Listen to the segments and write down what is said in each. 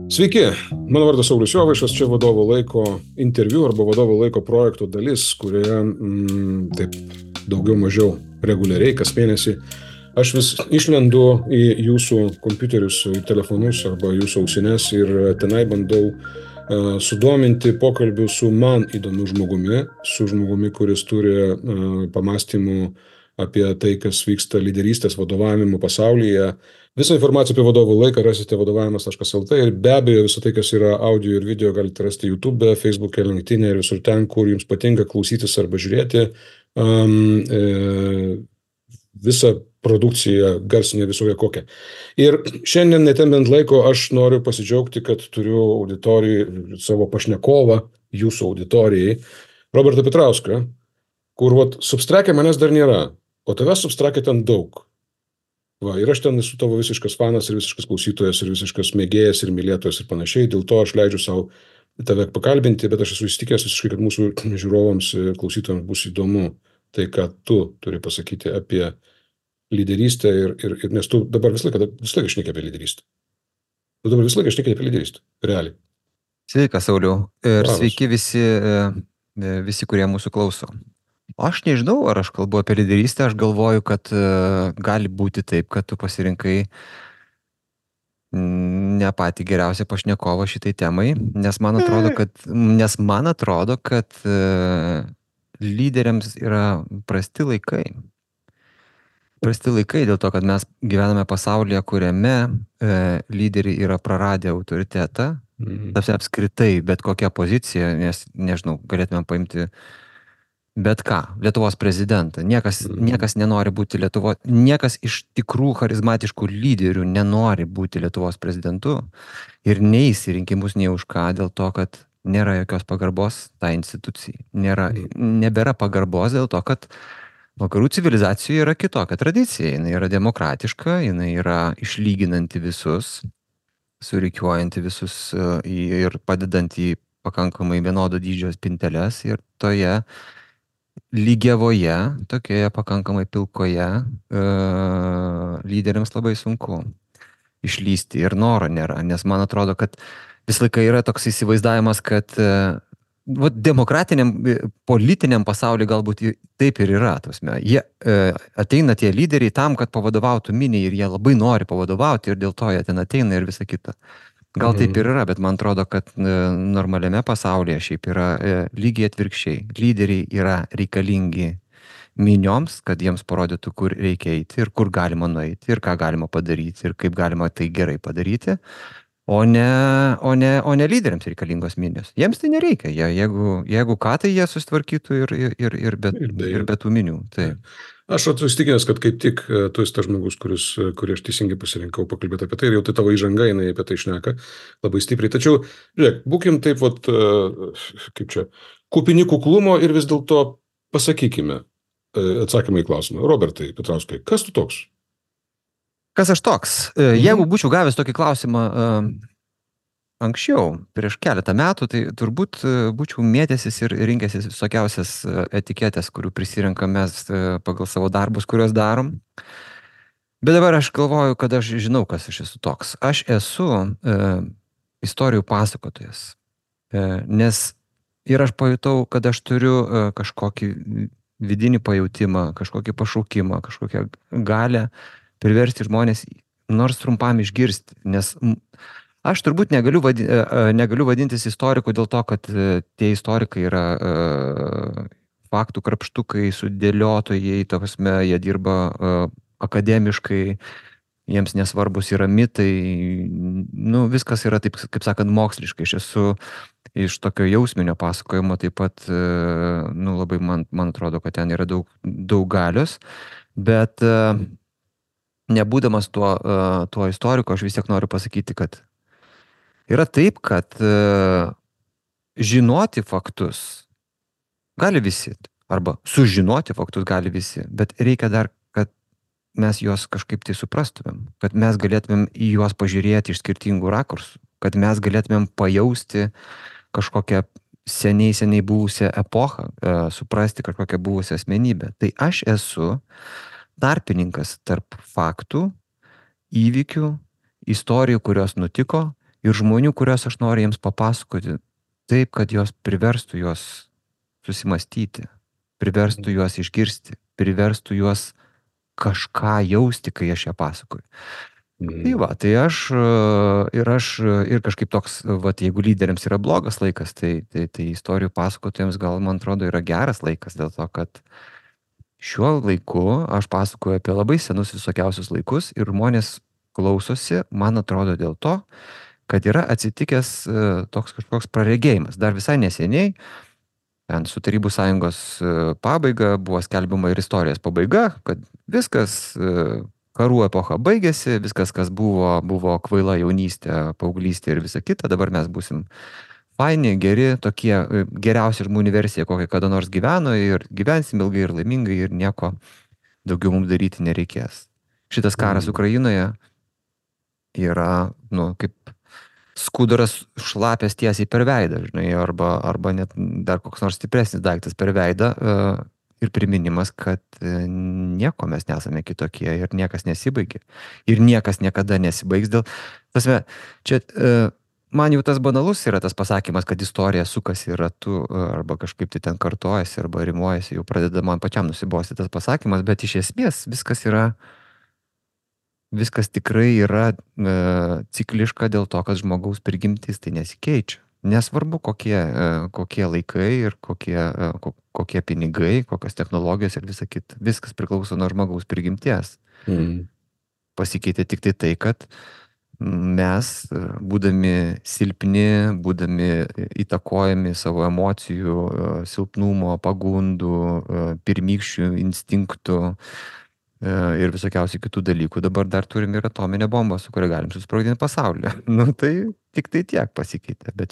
Sveiki, mano vardas Saulius Jovaišas, čia vadovo laiko interviu arba vadovo laiko projekto dalis, kurioje taip daugiau mažiau reguliariai kas mėnesį aš vis išlendu į jūsų kompiuterius, į telefonus arba jūsų ausines ir tenai bandau sudominti pokalbių su man įdomiu žmogumi, kuris turi pamastymų apie tai, kas vyksta lyderystės vadovavimo pasaulyje. Visą informaciją apie vadovų laiką rasite vadovavimas.lt ir be abejo visą tai, kas yra audio ir video, galite rasti YouTube, Facebook'e, LinkedIn'e ir visur ten, kur jums patinka klausytis arba žiūrėti. Visą produkciją garsinę visoje kokią. Ir šiandien netembiant laiko aš noriu pasidžiaugti, kad turiu auditorijai savo pašnekovą, jūsų auditorijai, Robertą Petrauską, kur Substrak'e manęs dar nėra, o tavęs Substrak'e ten daug. Va, ir aš ten esu tavo visiškas fanas ir visiškas klausytojas ir visiškas mėgėjas ir mylėtojas ir panašiai, dėl to aš leidžiu savo tave pakalbinti, bet aš esu įsitikinęs visiškai, kad mūsų žiūrovams ir klausytojams bus įdomu tai, ką tu turi pasakyti apie lyderystę ir nes tu dabar visą laiką šneki apie lyderystę. Tu dabar visą laiką šneki apie lyderystę, realiai. Sveikas, Sauliau, ir Labas. sveiki visi, kurie mūsų klauso. Aš nežinau, ar aš kalbu apie lyderystę, aš galvoju, kad gali būti taip, kad tu pasirinkai ne patį geriausią pašnekovą šitai temai, nes man atrodo, kad lyderiams yra prasti laikai. Prasti laikai dėl to, kad mes gyvename pasaulyje, kuriame lyderiai yra praradę autoritetą, apskritai bet kokią poziciją, nes, nežinau, galėtume paimti bet ką, Lietuvos prezidentą. Niekas nenori būti niekas iš tikrų charizmatiškų lyderių nenori būti Lietuvos prezidentu ir neis į rinkimus nei už ką, dėl to, kad nėra jokios pagarbos tai institucijai. Nebėra pagarbos dėl to, kad vakarų civilizacijoje yra kitokia tradicija. Jinai yra demokratiška, jinai yra išlyginanti visus, surikiuojanti visus ir padedant į pakankamai vienodo dydžio spinteles ir toje lygiavoje, tokioje pakankamai pilkoje lyderiams labai sunku išlysti ir noro nėra, nes man atrodo, kad vis laikai yra toks įsivaizdavimas, kad demokratiniam, politiniam pasaulyje galbūt taip ir yra. Jie ateina tie lyderiai tam, kad pavadovautų miniai ir jie labai nori pavadovauti ir dėl to jie ten ateina ir visa kita. Gal taip ir yra, bet man atrodo, kad normaliame pasaulyje šiaip yra lygiai atvirkščiai. Lyderiai yra reikalingi minioms, kad jiems parodytų, kur reikia eiti ir kur galima nueiti ir ką galima padaryti ir kaip galima tai gerai padaryti, o ne lyderiams reikalingos minios. Jiems tai nereikia. Jeigu ką, tai jie susitvarkytų ir be tų minių. Taip. Aš įsitikinęs, kad kaip tik tu esi tas žmogus, kurį aš teisingai pasirinkau pakalbėti apie tai ir jau tai tavo įžanga, jinai apie tai šneka labai stipriai. Tačiau, žiūrėk, būkim taip, kupini kuklumo ir vis dėlto pasakykime atsakymą į klausimą. Robertai Petrauskai, kas tu toks? Kas aš toks? Jeigu būčiau gavęs tokį klausimą anksčiau, prieš keletą metų, tai turbūt būčiau mėtęsis ir rinkęsis visokiausias etiketės, kurių prisirenkam mes pagal savo darbus, kuriuos darom. Bet dabar aš galvoju, kad aš žinau, kas aš esu toks. Aš esu istorijų pasakotojas. Nes ir aš pajutau, kad aš turiu kažkokį vidinį pajautimą, kažkokį pašaukimą, kažkokią galę priversti žmonės nors trumpam išgirsti. Nes aš turbūt negaliu vadintis istoriku dėl to, kad tie istorikai yra faktų krapštukai, sudėliotojai, jie dirba akademiškai, jiems nesvarbus yra mitai, viskas yra taip, kaip sakant, moksliškai. Aš esu iš tokio jausminio pasakojimo taip pat, labai man atrodo, kad ten yra daug galios, bet nebūdamas tuo istoriku, aš vis tiek noriu pasakyti, kad yra taip, kad žinoti faktus gali visi, arba sužinoti faktus gali visi, bet reikia dar, kad mes juos kažkaip tai suprastumėm, kad mes galėtumėm į juos pažiūrėti iš skirtingų rakursų, kad mes galėtumėm pajausti kažkokią seniai buvusią epochą, suprasti kažkokią buvusią asmenybę. Tai aš esu tarpininkas tarp faktų, įvykių, istorijų, kurios nutiko ir žmonių, kuriuos aš noriu jiems papasakoti taip, kad jos priverstų juos susimastyti, priverstų juos išgirsti, priverstų juos kažką jausti, kai aš ją pasakoju. Tai va, tai ir kažkaip toks, va, jeigu lyderiams yra blogas laikas, tai istorijų pasakotojams gal, man atrodo, yra geras laikas, dėl to, kad šiuo laiku aš pasakoju apie labai senus visokiausius laikus ir žmonės klausosi, man atrodo, dėl to, kad yra atsitikęs toks kažkoks praregėjimas. Dar visai neseniai, su Tarybų sąjungos pabaiga buvo skelbiama ir istorijos pabaiga, kad viskas, karų epocha baigėsi, viskas, kas buvo kvaila jaunystė, paauglystė ir visa kita, dabar mes būsim faini, geri, tokie geriausia žmonių versija, kokia kada nors gyveno ir gyvensim ilgai ir laimingai ir nieko daugiau mums daryti nereikės. Šitas karas Ukrainoje yra, kaip skuduras šlapės tiesiai per veidą, žinai, arba net dar koks nors stipresnis daiktas per veidą ir priminimas, kad nieko mes nesame kitokie ir niekas nesibaigia. Ir niekas niekada nesibaigs dėl... Tasme, čia man jau tas banalus yra tas pasakymas, kad istorija sukasi ratu arba kažkaip tai ten kartojasi arba rimuojasi, jau pradeda man pačiam nusibosti tas pasakymas, bet iš esmės viskas tikrai yra cikliška dėl to, kad žmogaus prigimtis tai nesikeičia. Nesvarbu, kokie laikai ir kokie pinigai, kokios technologijos ir visa kita. Viskas priklauso nuo žmogaus prigimties. Pasikeitė tik tai, kad mes, būdami silpni, būdami įtakojami savo emocijų, silpnumo, pagundų, pirmykščių instinktų, ir visokiausių kitų dalykų. Dabar dar turim ir atominę bombą, su kuria galim susprogdinti pasaulį. Tai tik tai tiek pasikeitė. Bet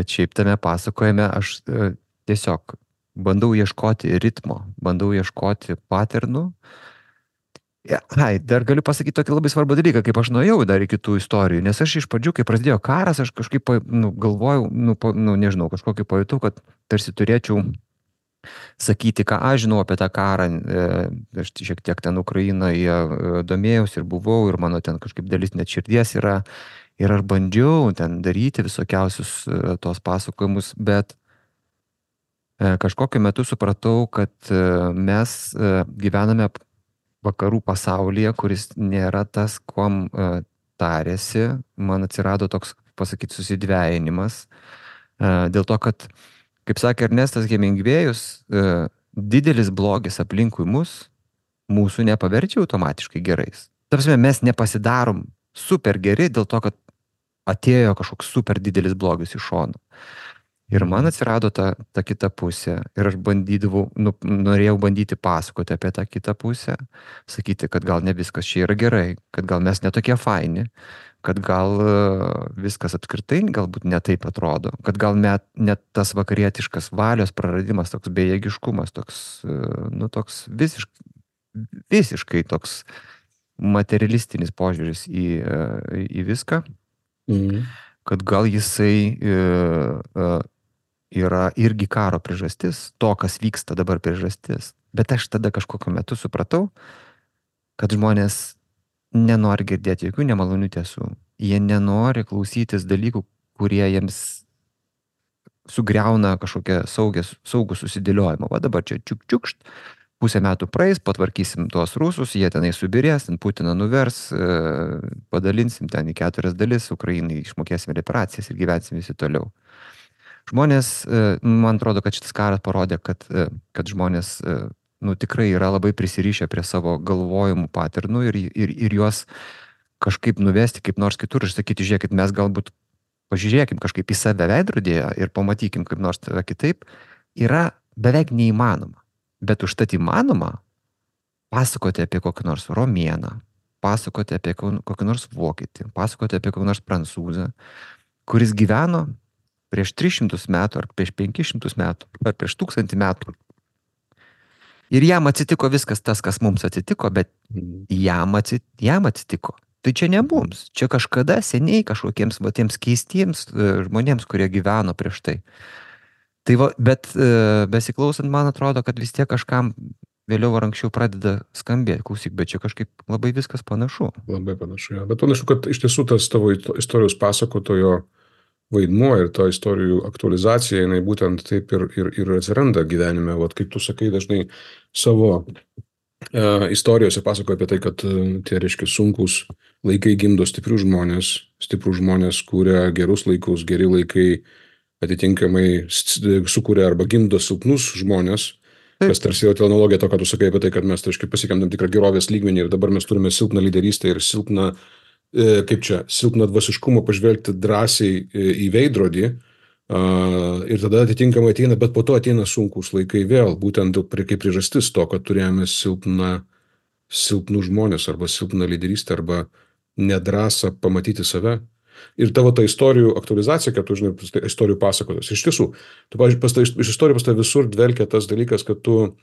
šiaip tame pasakojime aš tiesiog bandau ieškoti ritmo, bandau ieškoti paternų. Dar galiu pasakyti tokį labai svarbų dalyką, kaip aš nuėjau dar į kitų istorijų, nes aš iš pradžių, kai prasidėjo karas, aš kažkaip galvojau, nežinau, kažkokį pajutau, kad tarsi turėčiau sakyti, ką aš žinau apie tą karą, aš šiek tiek ten Ukrainoje domėjausi ir buvau, ir mano ten kažkaip dalis net širdies yra, ir aš bandžiau ten daryti visokiausius tos pasakojimus, bet kažkokiu metu supratau, kad mes gyvename vakarų pasaulyje, kuris nėra tas, kuom tarėsi, man atsirado toks, pasakyti, susidvejinimas, dėl to, kad kaip sakė Ernestas Hemingvėjus, didelis blogis aplinkui mūsų nepaverčia automatiškai gerais. Ta prasme, mes nepasidarom super geri dėl to, kad atėjo kažkoks super didelis blogis iš šono. Ir man atsirado ta kita pusė ir aš norėjau bandyti pasakoti apie tą kitą pusę, sakyti, kad gal ne viskas čia yra gerai, kad gal mes netokie faini, kad gal viskas apskritai galbūt ne taip atrodo, kad gal net tas vakarietiškas valios praradimas, toks bejėgiškumas, toks visiškai toks materialistinis požiūris į viską, kad gal jisai yra irgi karo priežastis, to, kas vyksta dabar priežastis. Bet aš tada kažkokiu metu supratau, kad žmonės nenori girdėti jokių nemalonių tiesų. Jie nenori klausytis dalykų, kurie jiems sugriauna kažkokią saugų susidėliojimą. Va dabar čia čiukšt, pusę metų praeis, patvarkysim tuos rusus, jie tenai subirės, Putiną nuvers, padalinsim ten į 4 dalis, Ukrainai išmokėsim reparacijas ir gyvensim visi toliau. Žmonės, man atrodo, kad šitas karas parodė, kad žmonės tikrai yra labai prisirišę prie savo galvojimų paternų ir juos kažkaip nuvesti kaip nors kitur ir sakyti, žiūrėkit, mes galbūt pažiūrėkim kažkaip į save veidrodėje ir pamatykim kaip nors kitaip, yra beveik neįmanoma. Bet užtat įmanoma pasakoti apie kokį nors romėną, pasakoti apie kokį nors vokietį, pasakoti apie kokį nors prancūzą, kuris gyveno prieš 300 metų, ar prieš 500 metų, ar prieš 1000 metų. Ir jam atsitiko viskas tas, kas mums atsitiko, bet jam atsitiko. Tai čia ne mums, čia kažkada seniai kažkokiems tiems keistiems žmonėms, kurie gyveno prieš tai. Tai va, bet besiklausant, man atrodo, kad vis tiek kažkam vėliau ar anksčiau pradeda skambėti. Klausyk, bet čia kažkaip labai viskas panašu. Labai panašu, ja. Bet panašu, kad iš tiesų tas tavo istorijos pasakotojo vaidmuo ir ta istorijų aktualizacija, jinai būtent taip ir atsiranda gyvenime. Vat kaip tu sakai, dažnai savo istorijose pasakoja apie tai, kad tie, reiškia, sunkus laikai gimdo stiprius žmonės kūrė gerus laikus, geri laikai atitinkamai sukuria arba gimdo silpnus žmonės, kas tarsi yra analogija to, ką tu sakai apie tai, kad mes, reiškia, pasiekėm tam tikrą gerovės lygmenį ir dabar mes turime silpną lyderystę ir silpną, silpną dvasiškumą pažvelgti drąsiai į veidrodį. Ir tada atitinkamai ateina, bet po to ateina sunkus laikai vėl, būtent kaip priežastis to, kad turėjome silpnų žmonės arba silpną lyderystę arba nedrąsą pamatyti save. Ir tavo ta istorijų aktualizacija, kad tu, žinai, istorijų pasakotas. Iš tiesų, iš istorijų pas tave visur dvelkia tas dalykas, kad tu,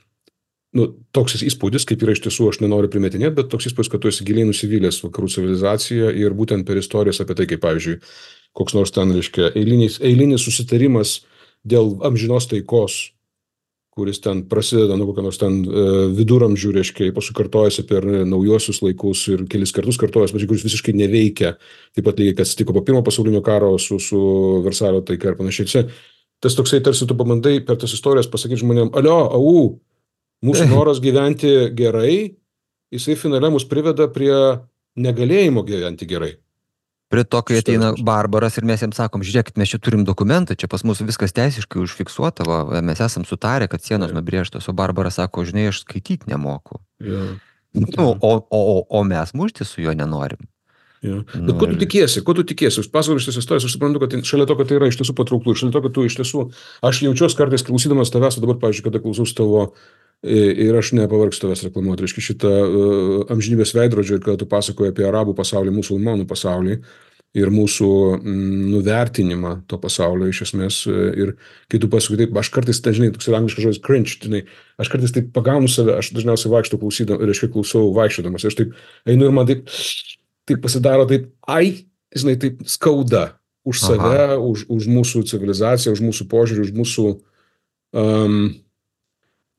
toks įspūdis, kaip yra iš tiesų, aš nenoriu primetinėti, bet toks įspūdis, kad tu esi giliai nusivylęs vakarų civilizaciją ir būtent per istorijas apie tai, kaip, pavyzdžiui, koks nors ten, reiškia, eilinis susitarimas dėl amžinos taikos, kuris ten prasideda nuo kokio nors ten viduramžių, reiškia, paskui kartojasi per naujuosius laikus ir kelis kartus kartojasi, bet kuris visiškai neveikia, taip pat lygiai, kas atsitiko po pirmo pasaulinio karo su Versalio taika ir panašiai. Tas toksai tarsi tu pabandai per tas istorijas pasakyti žmonėm, mūsų noras gyventi gerai, jisai finale mus priveda prie negalėjimo gyventi gerai. Prie to, kai ateina barbaras ir mes jiems sakom, žiūrėkit, mes čia turim dokumentą, čia pas mus viskas teisiškai užfiksuota, va, mes esam sutarę, kad sienos nubrėžtos, o barbaras sako, žinai, aš skaityti nemoku. O mes mušti su juo nenorim. Bet ko tu tikiesi? Aš pasakoju šitas istorijas, aš suprantu, kad šalia to, kad tai yra iš tiesų patrauklų, šalia to, kad tu iš tiesų, aš jaučiuosi kartais klausydamas tavęs, o dabar, pavyzdžiui, kada klausaus tavo ir aš nepavargsiu tavęs reklamuoti, reiškia šitą amžinybės veidrodžio ir kada tu pasakoji apie arabų pasaulį, musulmonų pasaulį ir mūsų nuvertinimą to pasaulio iš esmės. Ir kai tu pasakoji taip, aš kartais, žinai, toks yra angliškas žodis cringe, žinai, aš kartais taip pagaunu save, aš dažniausiai vaikštau klausau vaikščiodamas, aš taip einu ir man taip pasidaro taip, žinai, taip skauda už save, už mūsų civilizaciją, už mūsų požiūrį, už mūsų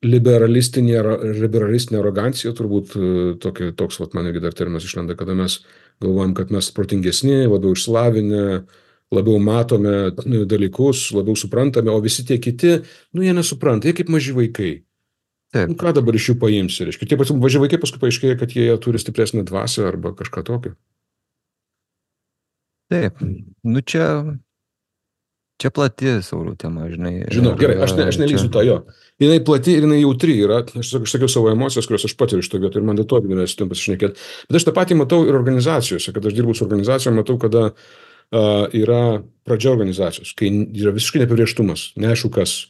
liberalistinė arogancija, turbūt toks, man irgi dar terminas išlenda, kada mes galvojam, kad mes protingesni, labiau išslavinę, labiau matome dalykus, labiau suprantame, o visi tie kiti, jie nesupranta, jie kaip maži vaikai. Ką dabar iš jų paimsi, reiškia? Tie maži vaikai paskui paaiškėja, kad jie turi stipresnę dvasią arba kažką tokio. Taip, čia plati, Sauliau, tema, žinai. Žinau, gerai, aš nelysiu tą jo. Jinai plati ir jinai jautri yra, aš sakiau savo emocijas, kurios aš patiriu iš to vietą ir man dėl to yra su tim pasišnekėti. Bet aš tą patį matau ir organizacijose, kad aš dirbu su organizacijom, matau, kada yra pradžia organizacijos, kai yra visiškai neapibrėžtumas, neaišku kas.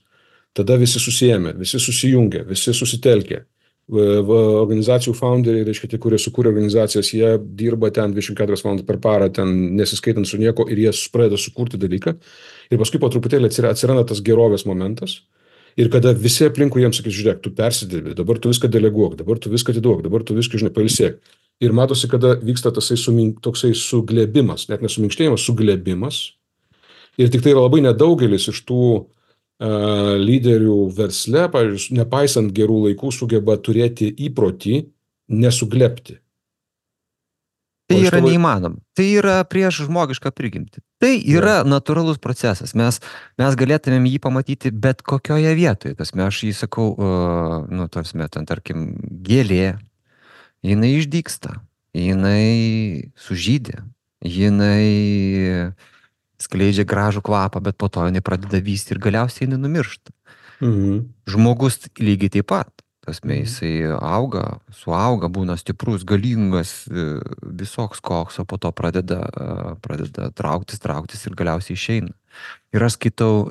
Tada visi susiėmė, visi susijungė, visi susitelkė. Organizacijų founderiai, reiškia, tie, kurie sukūrė organizacijas, jie dirba ten 24 valandas per parą, ten nesiskaitant su nieko ir jie pradeda sukurti dalyką. Ir paskui po truputėlį atsiranda tas gerovės momentas. Ir kada visi aplinkui jiems sakys, žiūrėk, tu persidirbi, dabar tu viską deleguok, dabar tu viską atiduok, dabar tu viską, žinai, pailsėk. Ir matosi, kada vyksta toksai suglebimas, net nesuminkštėjimas, suglebimas. Ir tik tai yra labai nedaugelis iš tų lyderių versle, pavyzdžiui, nepaisant gerų laikų, sugeba turėti įprotį nesuglebti. Tai yra neįmanoma. Tai yra prieš žmogišką prigimtį. Tai yra natūralus procesas. Mes galėtumėm jį pamatyti bet kokioje vietoje. Aš jį sakau, tarkim, gėlė, jinai išdygsta, jinai sužydė, jinai skleidžia gražų kvapą, bet po to jinai pradeda vysti ir galiausiai jinai numiršta. Žmogus lygiai taip pat. Jisai suauga, būna stiprus, galingas, visoks koks, o po to pradeda trauktis ir galiausiai išeina. Ir aš skaitau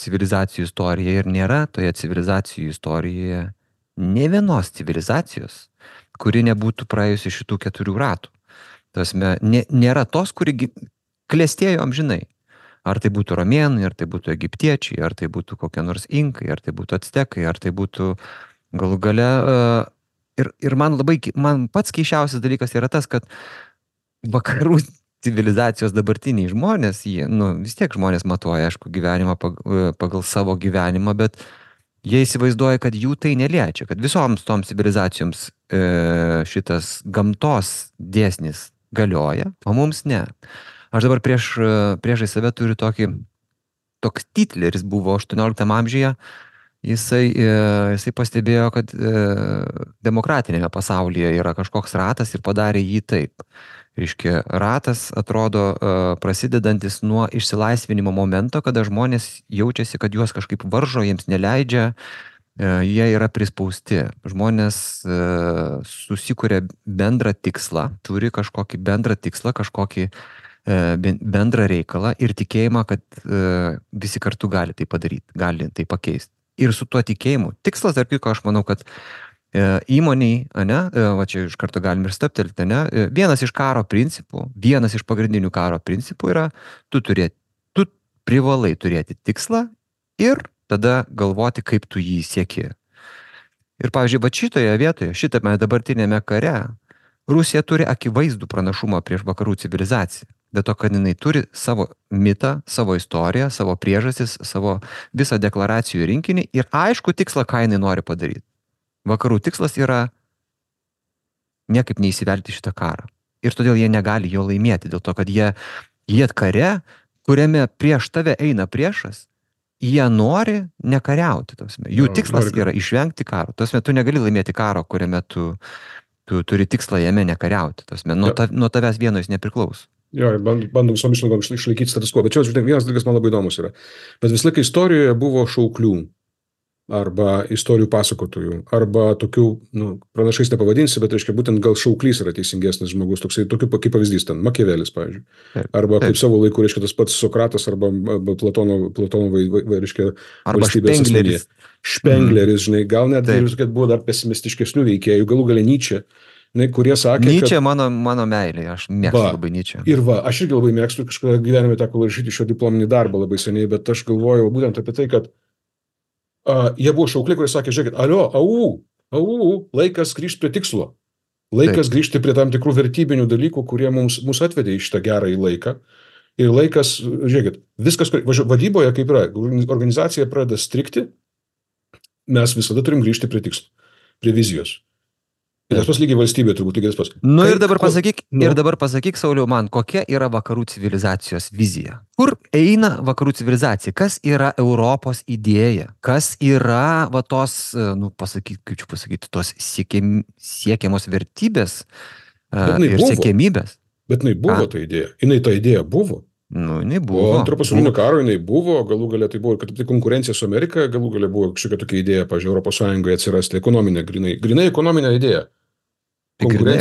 civilizacijų istoriją ir nėra toje civilizacijų istorijoje ne vienos civilizacijos, kuri nebūtų praėjusi šitų 4 ratų. Nėra tos, kuri klestėjo amžinai. Ar tai būtų romėnai, ar tai būtų egiptiečiai, ar tai būtų kokie nors inkai, ar tai būtų actekai, ar tai būtų galų gale. Ir man pats keisčiausias dalykas yra tas, kad vakarų civilizacijos dabartiniai žmonės, vis tiek žmonės matuoja, aišku, gyvenimą pagal savo gyvenimą, bet Jie įsivaizduoja, kad jų tai neliečia, kad visoms toms civilizacijoms šitas gamtos dėsnis galioja, o mums ne. Aš dabar priešai save turiu toks Hitleris buvo 18 amžiuje, jisai pastebėjo, kad demokratinėme pasaulyje yra kažkoks ratas ir padarė jį taip. Reiškia, ratas atrodo prasidedantis nuo išsilaisvinimo momento, kada žmonės jaučiasi, kad juos kažkaip varžo, jiems neleidžia, jie yra prispausti. Žmonės susikuria bendrą tikslą, turi kažkokį bendrą tikslą, kažkokį bendrą reikalą ir tikėjimą, kad visi kartu gali tai padaryti, gali tai pakeisti. Ir su tuo tikėjimu, tikslas, dar kiko, aš manau, kad įmoniai, ne, va čia iš karto galim ir staptelti, ne, vienas iš karo principų, vienas iš pagrindinių karo principų yra, tu privalai turėti tikslą ir tada galvoti, kaip tu jį sieki. Ir pavyzdžiui, va šitoje vietoje, šitame dabartinėme kare, Rusija turi akivaizdų pranašumą prieš vakarų civilizaciją. Dėl to, kad jinai turi savo mitą, savo istoriją, savo priežastis, savo visą deklaracijų rinkinį ir aišku tikslą, ką jinai nori padaryti. Vakarų tikslas yra niekaip neįsivelti šitą karą. Ir todėl jie negali jo laimėti, dėl to, kad jie kare, kuriame prieš tave eina priešas, jie nori nekariauti. Jų tikslas yra išvengti karo. Tu negali laimėti karo, kuriame tu turi tikslą jame nekariauti. Nuo tavęs vieno jis nepriklauso. Jo, bandom visom išlygom išlaikyti status quo. Bet čia, žinai, vienas dalykas man labai įdomus yra. Bet vis laiką istorijoje buvo šauklių, arba istorijų pasakotojų, arba tokių, pranašais nepavadinsi, bet, reiškia, būtent gal šauklys yra teisingesnis žmogus, tokiu kaip pavyzdys ten, Makiavelis, pavyzdžiui. Arba kaip savo laiku, reiškia, tas pats Sokratas, arba Platono reiškia, arba Špengleris. Špengleris, žinai, gal net buvo dar pesimistiškesnių veikėjų, galų gale Nyčė, kurie sakė, Nyčė mano meilė, aš mėgstu labai Nyčę. Ir aš irgi labai mėgstu, kažkada gyvenime teko rašyti šio diplominį darbą labai seniai, bet aš galvojau būtent apie tai, kad jie buvo šaukliai, kurie sakė, žiūrėkit, laikas grįžti prie tikslo. Laikas grįžti prie tam tikrų vertybinių dalykų, kurie mus atvedė į šitą gerąjį laiką. Ir laikas, žiūrėkit, viskas, vadyboje kaip yra, organizacija pradeda strikti, mes visada turim grįžti prie tikslo, prie vizijos. Ir tas pas lygiai valstybė turbūt lygiai tas pas. Ir dabar pasakyk, Sauliau, man, kokia yra vakarų civilizacijos vizija? Kur eina vakarų civilizacija? Kas yra Europos idėja? Kas yra tos, tos siekiamos vertybės ir siekiamybės? Bet jinai buvo ta idėja. Ta idėja buvo. Jinai buvo. Po antro pasaulinio karo jinai buvo, galų galia tai buvo, kad konkurencija su Amerika, galų galia buvo kažkokia tokia idėja, pavyzdžiui, Europos Sąjungoje atsirasti ekonominė, grinai ekonominė idėja. Grinai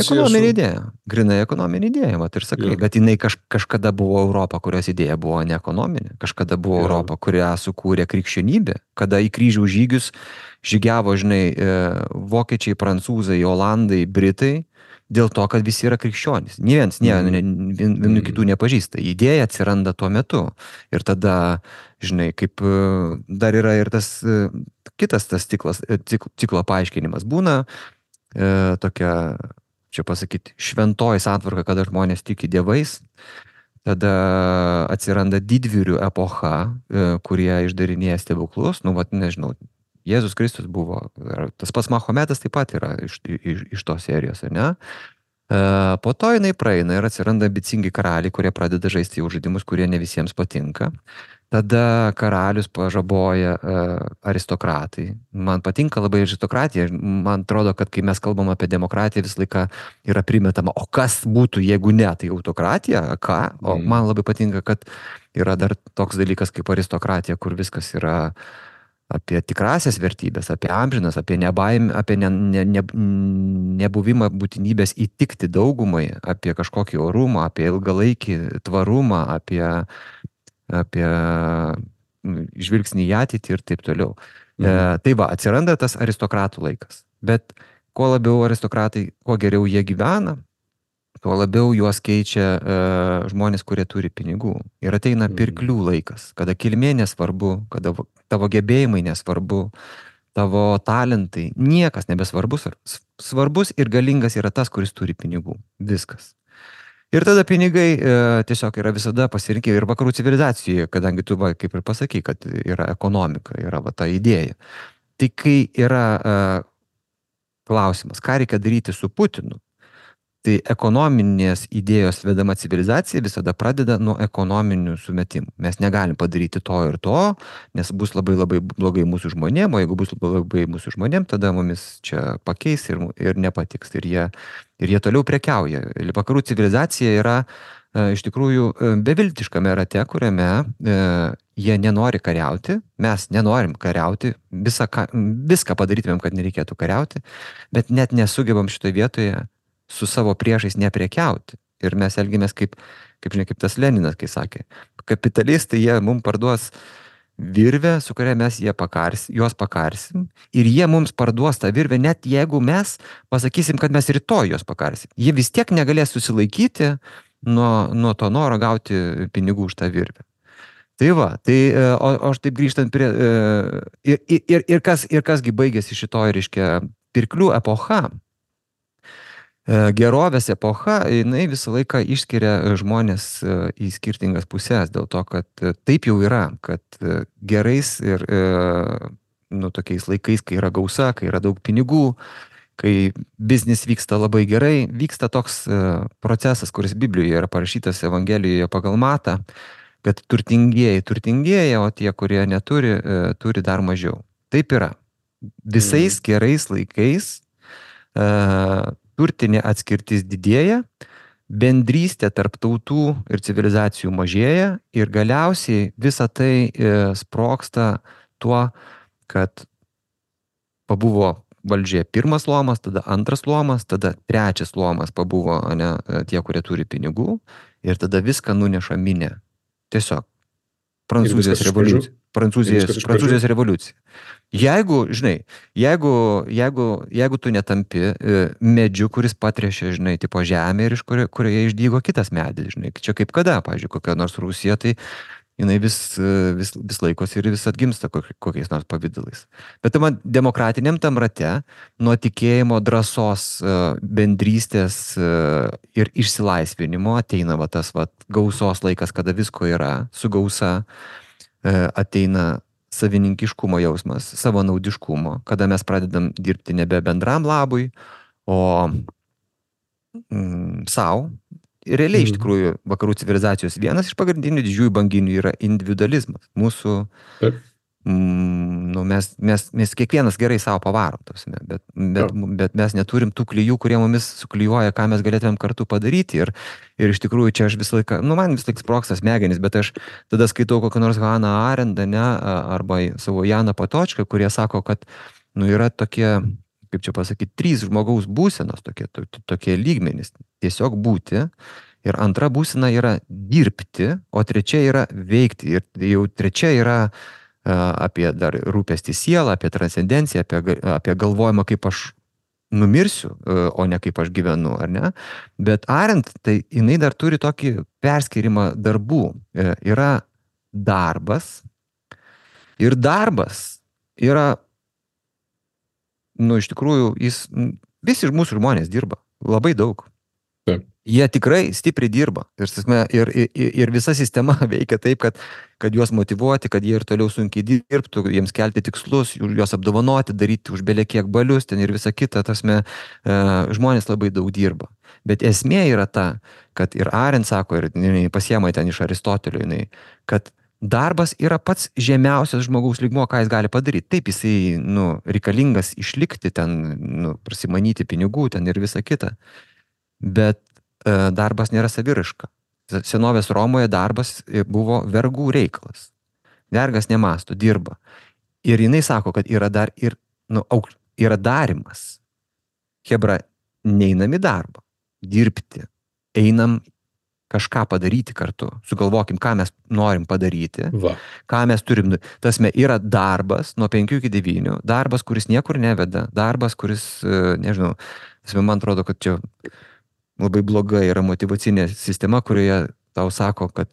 ekonominė idėja, mat ir sakai, bet jinai kažkada buvo Europa, kurios idėja buvo ne ekonominė, kažkada buvo Europa, kurią sukūrė krikščionybė, kada į kryžių žygius žygiavo, žinai, vokiečiai, prancūzai, olandai, britai, dėl to, kad visi yra krikščionys. Nė vienų kitų nepažįsta. Idėja atsiranda tuo metu. Ir tada, žinai, kaip dar yra ir tas kitas tas ciklo paaiškinimas. Būna tokia, čia pasakyti, šventoji santvarka, kada žmonės tiki dievais, tada atsiranda didvyrių epocha, kurie išdarinėja stebuklus, nežinau, Jėzus Kristus buvo, tas pats Mahometas taip pat yra iš tos serijos, ne? Po to jinai praeina ir atsiranda ambicingi karaliai, kurie pradeda žaisti jau žaidimus, kurie ne visiems patinka. Tada karalius pažaboja aristokratai. Man patinka labai aristokratija. Man atrodo, kad kai mes kalbam apie demokratiją, visą laiką yra primetama, o kas būtų, jeigu ne, tai autokratija, ką? O man labai patinka, kad yra dar toks dalykas kaip aristokratija, kur viskas yra apie tikrasias vertybės, apie amžinas, apie nebaimę, apie nebuvimą būtinybės įtikti daugumai, apie kažkokį orumą, apie ilgalaikį tvarumą, apie žvilgsnį į ateitį ir taip toliau. Tai va, atsiranda tas aristokratų laikas. Bet kuo labiau aristokratai, kuo geriau jie gyvena, tuo labiau juos keičia žmonės, kurie turi pinigų. Ir ateina pirklių laikas, kada kilmė nesvarbu, kada tavo gebėjimai nesvarbu, tavo talentai, niekas nebesvarbus. Svarbus ir galingas yra tas, kuris turi pinigų. Viskas. Ir tada pinigai tiesiog yra visada pasirinkė ir vakarų civilizacijoje, kadangi tu, kaip ir pasakai, kad yra ekonomika, yra ta idėja. Tai kai yra klausimas, ką reikia daryti su Putinu, tai ekonominės idėjos vedama civilizacija visada pradeda nuo ekonominių sumetimų. Mes negalim padaryti to ir to, nes bus labai labai blogai mūsų žmonėm, o jeigu bus labai mūsų žmonėm, tada mumis čia pakeis ir nepatiks. Ir jie toliau prekiauja. Vakarų civilizacija yra iš tikrųjų beviltiškame rate, kuriame jie nenori kariauti, mes nenorim kariauti, viską padarytumėm, kad nereikėtų kariauti, bet net nesugebam šitoje vietoje su savo priešais neprekiauti. Ir mes elgimės kaip tas Leninas, kai sakė, kapitalistai jie mums parduos virvę, su kuria mes juos pakarsim, ir jie mums parduos tą virvę, net jeigu mes pasakysim, kad mes rytoj juos pakarsim. Jie vis tiek negalės susilaikyti nuo to noro gauti pinigų už tą virvę. Tai va, o aš taip grįžtant prie... Ir kasgi baigėsi šitoj, reiškia, pirklių epocha, gerovės epocha, jinai visą laiką išskiria žmonės į skirtingas pusės, dėl to, kad taip jau yra, kad gerais ir tokiais laikais, kai yra gausa, kai yra daug pinigų, kai biznis vyksta labai gerai, vyksta toks procesas, kuris Biblijoje yra parašytas Evangelijoje pagal Matą, kad turtingieji turtingėja, o tie, kurie neturi, turi dar mažiau. Taip yra. Visais gerais laikais turtinė atskirtis didėja, bendrystė tarp tautų ir civilizacijų mažėja ir galiausiai visa tai sprogsta tuo, kad pabuvo valdžioje pirmas luomas, tada antras luomas, tada trečias luomas pabuvo tie, kurie turi pinigų, ir tada viską nuneša minė. Tiesiog. Prancūzijos revoliucija. Prancūzijos revoliucija. Jeigu tu netampi medžiu, kuris patrešia, tipo žemė ir iš kurioje išdygo kitas medis, čia kaip kada, pavyzdžiui, kokia nors Rusija, tai jinai vis laikosi ir vis atgimsta kokiais nors pavydalais. Bet man demokratiniam tam rate nuo tikėjimo, drąsos, bendrystės ir išsilaisvinimo ateina tas gausos laikas, kada visko yra, su gausa ateina savininkiškumo jausmas, savanaudiškumo, kada mes pradedam dirbti nebe bendram labui, o savo. Ir realiai iš tikrųjų vakarų civilizacijos vienas iš pagrindinių didžiųjų banginių yra individualizmas. Mūsų, mes kiekvienas gerai savo pavarom, bet mes neturim tų klijų, kurie mumis suklijuoja, ką mes galėtumėm kartu padaryti. Ir iš tikrųjų čia aš visą laiką, man vis laik sprogsta smegenys, bet aš tada skaitau kokią nors Hannah Arendt, arba savo Janą Patočką, kurie sako, kad yra tokie, kaip čia pasakyti, 3 žmogaus būsenos, tokie lygmenys. Tiesiog būti. Ir antra būsena yra dirbti, o trečia yra veikti. Ir jau trečia yra apie dar rūpestį sielą, apie transcendenciją, apie galvojimą, kaip aš numirsiu, o ne kaip aš gyvenu, ar ne? Bet Arendt, tai jinai dar turi tokį perskirimą darbų. Yra darbas. Ir darbas yra, iš tikrųjų, visi mūsų žmonės dirba. Labai daug. Taip. Jie tikrai stipriai dirba. Ir visa sistema veikia taip, kad juos motyvuoti, kad jie ir toliau sunkiai dirbtų, jiems kelti tikslus, juos apdovanoti, daryti už belekiek balius ten ir visa kita. Žmonės labai daug dirba. Bet esmė yra ta, kad ir Arendt sako, ir pasiema ten iš Aristotelio, kad darbas yra pats žemiausias žmogaus lygmuo, ką jis gali padaryti. Taip, jisai reikalingas išlikti ten, prasimanyti pinigų ten ir visa kita. Bet darbas nėra saviraiška. Senovės Romoje darbas buvo vergų reikalas. Vergas nemąsto, dirba. Ir jinai sako, kad yra dar yra darimas. Chebra, neinam į darbą, dirbti, einam kažką padaryti kartu. Sugalvokim, ką mes norim padaryti, ką mes turim. Yra darbas nuo 5 iki 9, darbas, kuris niekur neveda, darbas, kuris, nežinau, man atrodo, kad čia labai bloga yra motyvacinė sistema, kurioje tau sako, kad,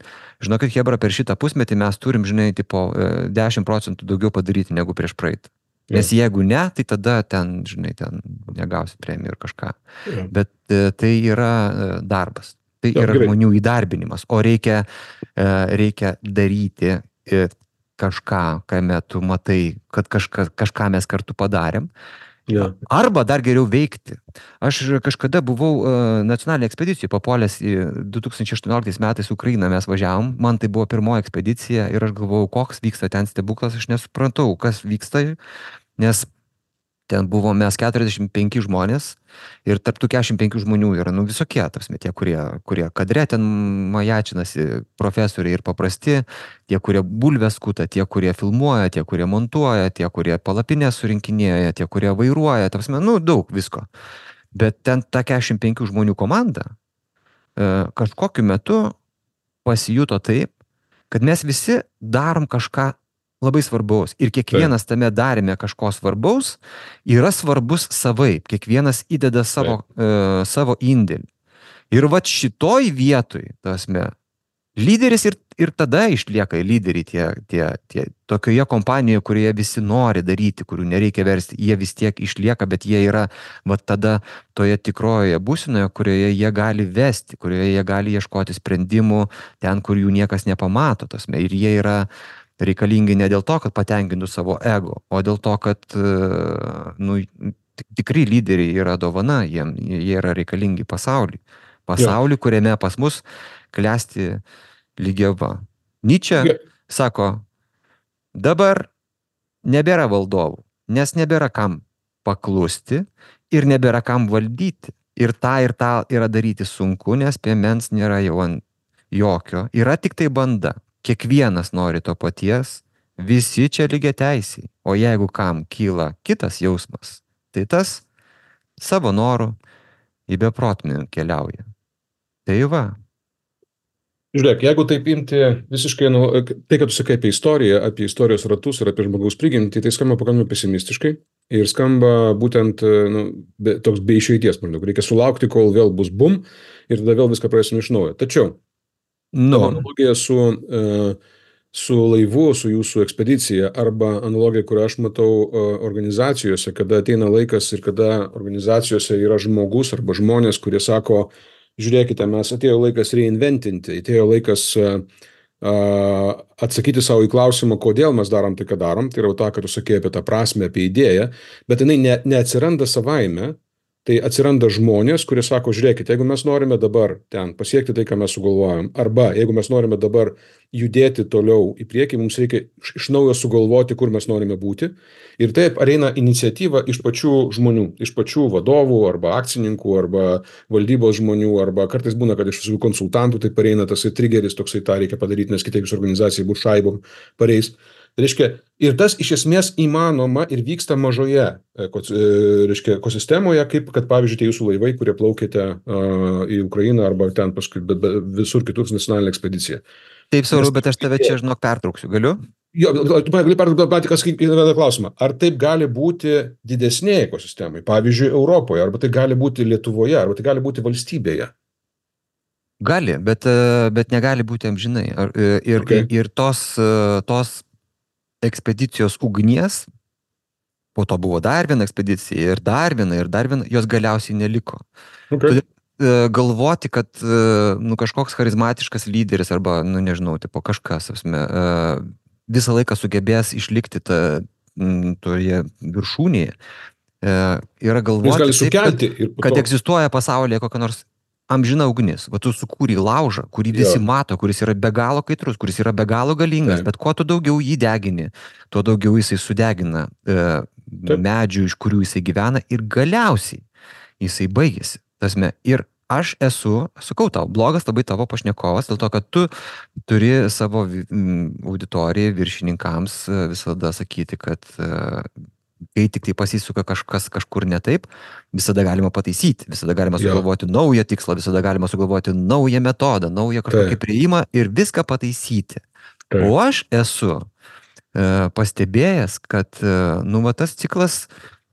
žinokit, Chebra, per šitą pusmetį mes turim, 10% daugiau padaryti negu prieš praeitą. Nes jeigu ne, tai tada ten negausi premijų ir kažką. Bet tai yra darbas. Tai yra žmonių įdarbinimas. O reikia daryti kažką, kame tu matai, kad kažką mes kartu padarėm. Ja. Arba dar geriau veikti. Aš kažkada buvau nacionalinėje ekspedicijoje, papuolęs į 2018 metais Ukrainą mes važiavom, man tai buvo pirmoji ekspedicija ir aš galvojau, koks vyksta ten stebuklas, aš nesuprantau, kas vyksta, nes ten buvo mes 45 žmonės ir tarp tų 45 žmonių yra, nu, visokie, tarpsme, tie, kurie kadre ten majačinasi, profesoriai ir paprasti, tie, kurie bulves skuta, tie, kurie filmuoja, tie, kurie montuoja, tie, kurie palapinę surinkinėja, tie, kurie vairuoja, tarpsme, nu, daug visko. Bet ten ta 45 žmonių komanda kažkokiu metu pasijuto taip, kad mes visi darom kažką labai svarbaus. Ir kiekvienas tame darime kažko svarbaus yra svarbus savaip. Kiekvienas įdeda savo indėlį. Ir vat šitoj vietoj, tasme, lyderis ir tada išlieka lyderiai tie tokioje kompanijoje, kurioje visi nori daryti, kurių nereikia versti, jie vis tiek išlieka, bet jie yra vat tada toje tikrojoje būsinoje, kurioje jie gali vesti, kurioje jie gali ieškoti sprendimų ten, kur jų niekas nepamato, tasme. Ir jie yra reikalingi ne dėl to, kad patenkintų savo ego, o dėl to, kad nu, tikri lyderiai yra dovana, jie yra reikalingi pasauliui. Pasauliui, kuriame pas mus klesti lygiava. Nyčė sako, dabar nebėra valdovų, nes nebėra kam paklusti ir nebėra kam valdyti. Ir tą yra daryti sunku, nes piemens nėra jau ant jokio. Yra tik tai banda. Kiekvienas nori to paties, visi čia lygiai teisiai. O jeigu kam kyla kitas jausmas, tai tas savo norų į beprotmę keliauja. Tai va. Žiūrėk, jeigu taip imti visiškai, tai, kad tu sakai apie istoriją, apie istorijos ratus ir apie žmogaus prigimtį, tai skamba pakankamai pesimistiškai ir skamba būtent toks be išeities, maždaug. Reikia sulaukti, kol vėl bus bum ir tada vėl viską pradėsim iš naujo. Tačiau tavo analogija su laivu, su jūsų ekspedicija arba analogija, kurią aš matau organizacijose, kada ateina laikas ir kada organizacijose yra žmogus arba žmonės, kurie sako, žiūrėkite, mes atėjo laikas reinventinti, atėjo laikas atsakyti savo į klausimą, kodėl mes darom tai, ką darom, tai yra tą, ką tu sakei apie tą prasmę, apie idėją, bet jinai neatsiranda savaime. Tai atsiranda žmonės, kurie sako, žiūrėkite, jeigu mes norime dabar ten pasiekti tai, ką mes sugalvojam, arba jeigu mes norime dabar judėti toliau į priekį, mums reikia iš naujo sugalvoti, kur mes norime būti. Ir taip ateina iniciatyva iš pačių žmonių, iš pačių vadovų, arba akcininkų, arba valdybos žmonių, arba kartais būna, kad iš visų konsultantų tai pareina tasai triggeris, toksai tą reikia padaryti, nes kitaip jūsų organizacija bus šaibom pareis. Tai reiškia, ir tas iš esmės įmanoma ir vyksta mažoje ekosistemoje, kaip kad pavyzdžiui tie jūsų laivai, kurie plaukėte į Ukrainą arba ten paskui visur kitur nacionalinę ekspediciją. Taip, Sauliau, bet aš tave čia, žinok, pertrauksiu, galiu? Jo, tu gali perduoti vieną klausimą. Ar taip gali būti didesnėje ekosistemai, pavyzdžiui, Europoje, arba tai gali būti Lietuvoje, arba tai gali būti valstybėje? Gali, bet negali būti amžinai. Ir tos ekspedicijos ugnies, po to buvo dar viena ekspedicija ir dar viena, jos galiausiai neliko. Okay. Galvoti, kad kažkoks charizmatiškas lyderis arba, nežinau, tipo kažkas, visą laiką sugebės išlikti toje viršūnėje, yra galvoti, kad egzistuoja pasaulyje kokia nors amžina ugnis. Va tu sukūrei laužą, kurį visi mato, kuris yra be galo kaitrus, kuris yra be galo galingas, bet kuo tu daugiau jį degini, tuo daugiau jisai sudegina medžių, iš kurių jisai gyvena ir galiausiai jisai baigėsi. Tasme, ir aš sakau tau, blogas labai tavo pašnekovas, dėl to, kad tu turi savo auditorijai, viršininkams visada sakyti, kad kai tik tai pasisuka kažkas kažkur ne taip, visada galima pataisyti, visada galima sugalvoti naują tikslą, visada galima sugalvoti naują metodą, naują kažkokį priėjimą ir viską pataisyti. O aš esu pastebėjęs, kad tas ciklas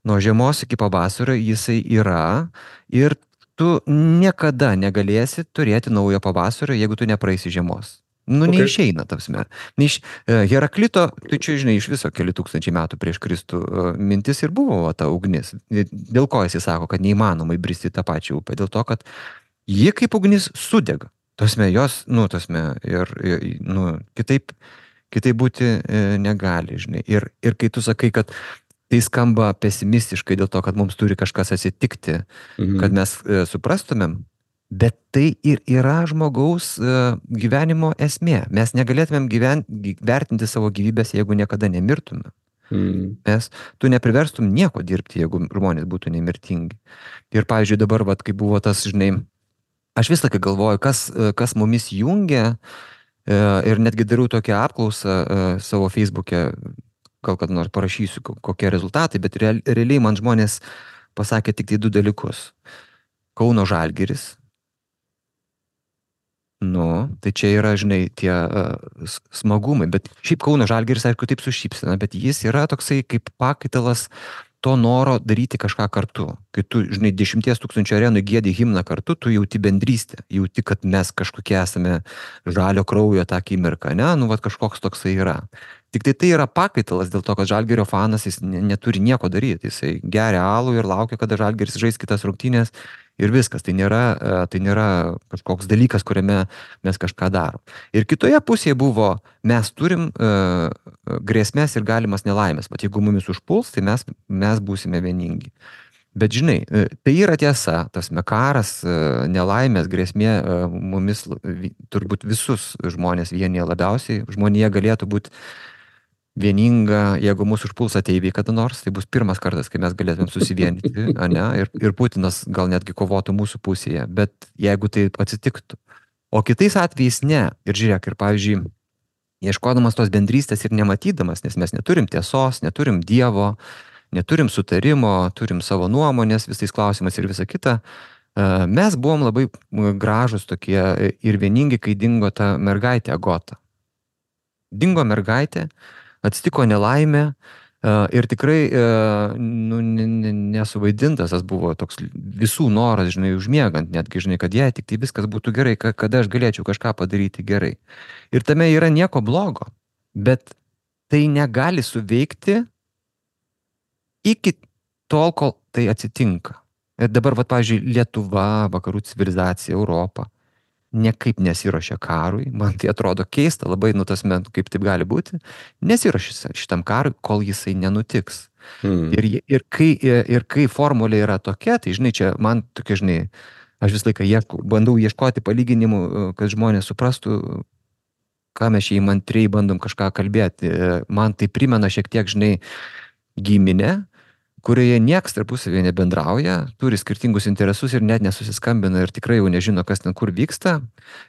nuo žiemos iki pavasario jisai yra ir tu niekada negalėsi turėti naujo pavasario, jeigu tu nepraeisi žiemos. Neišeina, tapsme. Heraklito, tai čia, žinai, iš viso keli tūkstančiai metų prieš Kristų mintis ir buvo ta ugnis. Dėl ko jis sako, kad neįmanoma įbristi tą pačią upę? Dėl to, kad ji kaip ugnis sudega. Tasme, jos, kitaip Kitaip būti negali, žinai. Ir kai tu sakai, kad tai skamba pesimistiškai dėl to, kad mums turi kažkas atsitikti, kad mes suprastumėm, bet tai ir yra žmogaus gyvenimo esmė. Mes negalėtumėm vertinti savo gyvybės, jeigu niekada nemirtume. Mes, tu nepriverstum nieko dirbti, jeigu žmonės būtų nemirtingi. Ir, pavyzdžiui, dabar, vat, kai buvo tas, žinai, aš vis laiką galvoju, kas mumis jungia, ir netgi darau tokią apklausą savo Facebook'e, gal kad nors parašysiu, kokie rezultatai, bet realiai man žmonės pasakė tik tai 2 dalykus. Kauno Žalgiris. Nu, tai čia yra, žinai, tie smagumai, bet šiaip Kauno Žalgiris, aišku, taip su šypsena, bet jis yra toksai kaip pakaitalas to noro daryti kažką kartu. Kai tu, žinai, 10 000 arenų giedi himną kartu, tu jauti bendrystę, jauti, kad mes kažkokie esame žalio kraujo tą akimirką, ne? Nu, vat kažkoks toksai yra. Tik tai yra pakaitalas dėl to, kad Žalgirio fanas jis neturi nieko daryti. Jisai geria alų ir laukia, kada Žalgiris žais kitas rungtynės ir viskas. Tai nėra kažkoks dalykas, kuriame mes kažką darom. Ir kitoje pusėje buvo, mes turim grėsmės ir galimas nelaimės. Bet jeigu mumis užpuls, tai mes būsime vieningi. Bet žinai, tai yra tiesa, tas karas, nelaimės, grėsmė mumis turbūt visus žmonės vienyje labiausiai. Žmonija galėtų būti vieninga, jeigu mūsų užpuls ateiviai kada nors, tai bus pirmas kartas, kai mes galėtumėm susivienyti, ne? Ir Putinas gal netgi kovotų mūsų pusėje, bet jeigu tai atsitiktų. O kitais atvejais ne. Ir žiūrėk, ir pavyzdžiui, ieškodamas tos bendrystės ir nematydamas, nes mes neturim tiesos, neturim Dievo, neturim sutarimo, turim savo nuomonės visais klausimais ir visa kita, mes buvom labai gražus tokie ir vieningi, kai dingo ta mergaitė Agota. Dingo mergaitė, atsitiko nelaimė ir tikrai nesuvaidintas, tas buvo toks visų noras, žinai, užmiegant, netgi, žinai, kad jei tik tai viskas būtų gerai, kada aš galėčiau kažką padaryti gerai. Ir tame yra nieko blogo, bet tai negali suveikti iki tol, kol tai atsitinka. Ir dabar, va, pavyzdžiui, Lietuva, vakarų civilizacija, Europa niekaip nesiruošia karui, man tai atrodo keista, labai kaip taip gali būti, nesiruošia šitam karui, kol jisai nenutiks. Ir kai formulė yra tokia, tai žinai, čia man tokia, žinai, aš visą laiką bandau ieškoti palyginimų, kad žmonės suprastų, ką mes čia įmantriai bandom kažką kalbėti. Man tai primena šiek tiek, žinai, giminę, kurioje nieks tarpusavėje nebendrauja, turi skirtingus interesus ir net nesusiskambina ir tikrai jau nežino, kas ten kur vyksta,